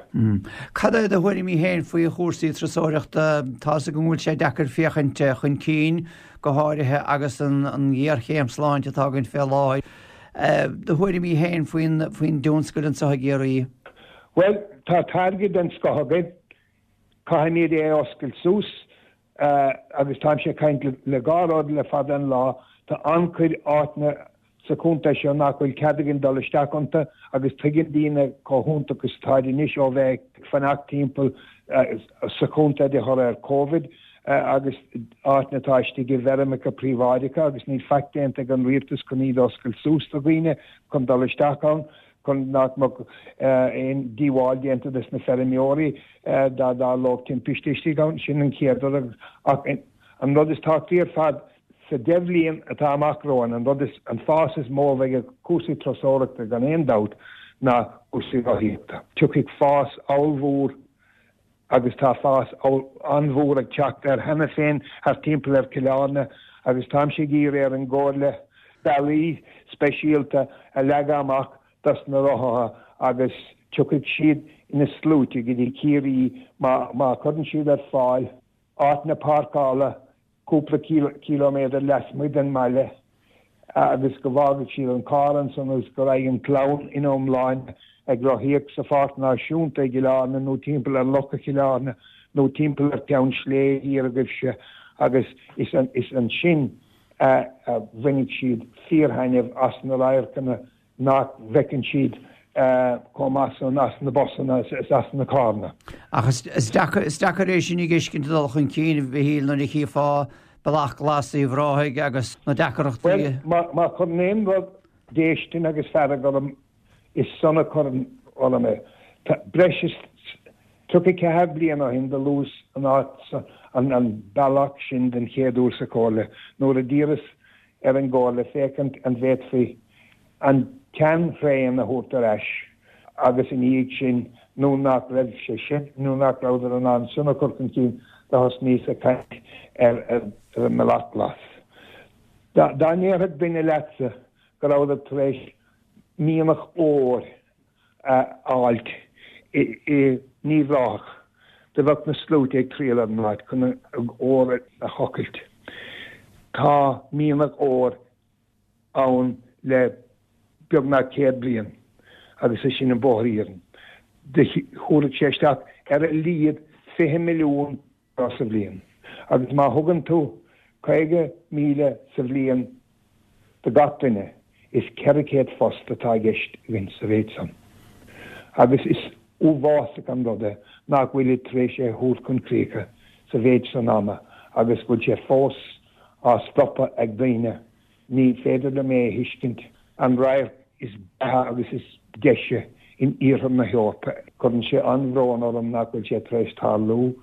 Cad é do thuairimí féin faoi chúrsaí turasóireachta? Tá a fhios agam go bhfuil sé deacair féachaint chun cinn, go háirithe agus an ghéarchéim sláinte atá againn fé láthair. Do thuairimí féin faoin dtionscal anseo i gCiarraí? Bhuel, tá táirge den scoth againn. Caithfimid é a oscailt suas. Agus táimse ag caint le dhá rud le fada an lá, tá an-chuid áiteanna sa chontae seo nach bhfuil cead againn dul isteach iontu agus tuigeann daoine chomh hiontach is atáid anois ó bheith ag fanacht timpeall sa chontae de thoradh ar Covid agus áiteanna atá istigh i bhfeirmeacha príobháideacha agus níl faic déanta ag an rialtas chun iad a oscailt suas do dhaoine chun dul isteach ann. chun nach mbeadh aon díobháil déanta dos na feirmeoirí dá dtarlódh timpiste istigh ann. Sin an chéad rud. Ach an rud is tábhachtaí ar fad, sa deich bhliain atá amach romhainn, an rud is, an fás is mó a bheidh ag cúrsaí turasóireachta gan aon dabht ná cúrsaí rothaíochta. Tiocfaidh fás ollmhór agus tá fás an-mhór ag teacht air cheana féin thart timpeall ar Chill Airne agus táimse ag iarraidh ar an gComhairle bealaí speisialta a leagadh amach dos na rothaithe agus tiocfaidh siad ina sluaite go dtí Ciarraí má chuireann siad ar fáil áiteanna páirceála cúpla cíliméadar lasmuigh den mbaile agus go bhfágfaidh siad an carr ansan agus go raghaidh an chlann ina iomláine ag rothaíocht sa Pháirc Náisiúnta i gCill Airne nó timpeall ar Locha Chill Airne nó timpeall ar Cheann Sléibhe thiar agaibhse agus is ansin a bhainfidh siad fíorthaitneamh as na radharcanna nach bhfeiceann siad chomh maith san as na busanna is as na carranna. Ach is deacair é sin a fheiscint ag dul chun cinn, a Mhichíl, nuair a chífeá Bealach Glas Uíbh Ráthaigh agus na deacrachtaí. Bhuel, má chuireann aon rud déistin agus fearg orm, is san a chuireann orm é. Tá breis is 34 bliain ó shin do luas an áit an bealach sin den chéad uair sa Chomhairle nuair a d'iarras ar an gComhairle féachaint an bhféadfaí an tsean-thraein a thabhairt ar ais agus ina dhiaidh sin nuair nach raibh sé sin, nuair nach rabhadar in ann sin a chur chun cinn do thosnaíos ag caint ar an mBealach Glas. Dá ndéarfadh duine leatsa go rabhadar tar éis mianach óir a fháilt i nUíbh Ráthach, do bheadh na sluaite ag triall ar an áit chun an ór a thochailt. Tá mianach óir ann le beagnach 100 bliain agus é sin an bóthar iarainn. Do thabharfadh sé isteach ar a laghad 20 milliún sa bhliain. Agus má thugann tú 50,000 sa bhliain do gach duine, is 400 phost atá i gceist againn sa mhéid san. Agus is uafásach an rud é nach bhfuilid tar éis é a thabhairt chun críche sa mhéid san ama agus go bhfuil sé fós á stopadh ag daoine. Ní féidir liom é a thuiscint. An radharc is breátha agus is deise in iarthar na hEorpa. Cuireann sé an-bhrón orm nach bhfuil sé tar éis tarlú.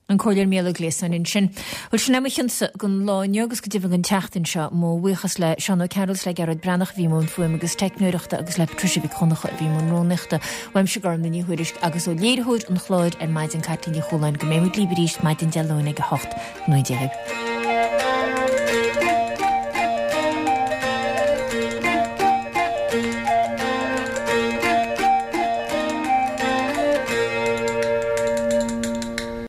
An Comhairleoir Mícheál Ó Gliasáin ansin. Bhuel, sin é mo chionsa don lá inniu agus go deimhin don tseachtain seo. Mo bhuíochas le Seán Ó Cearúil is le Gearóid Breathnach a bhí i mbun fuaime agus teicneoireachta agus le Patricia Mhic Dhonncha a bhí i mbun rúnaíochta. Uaimse Gormlaith Ní Thuairisg agus ó léiritheoir an chláir ar maidin Caitlín Ní Chualáin go mbeidh muid libh arís maidin Dé Luain ag 8. Go ngnóthaí Dia libh.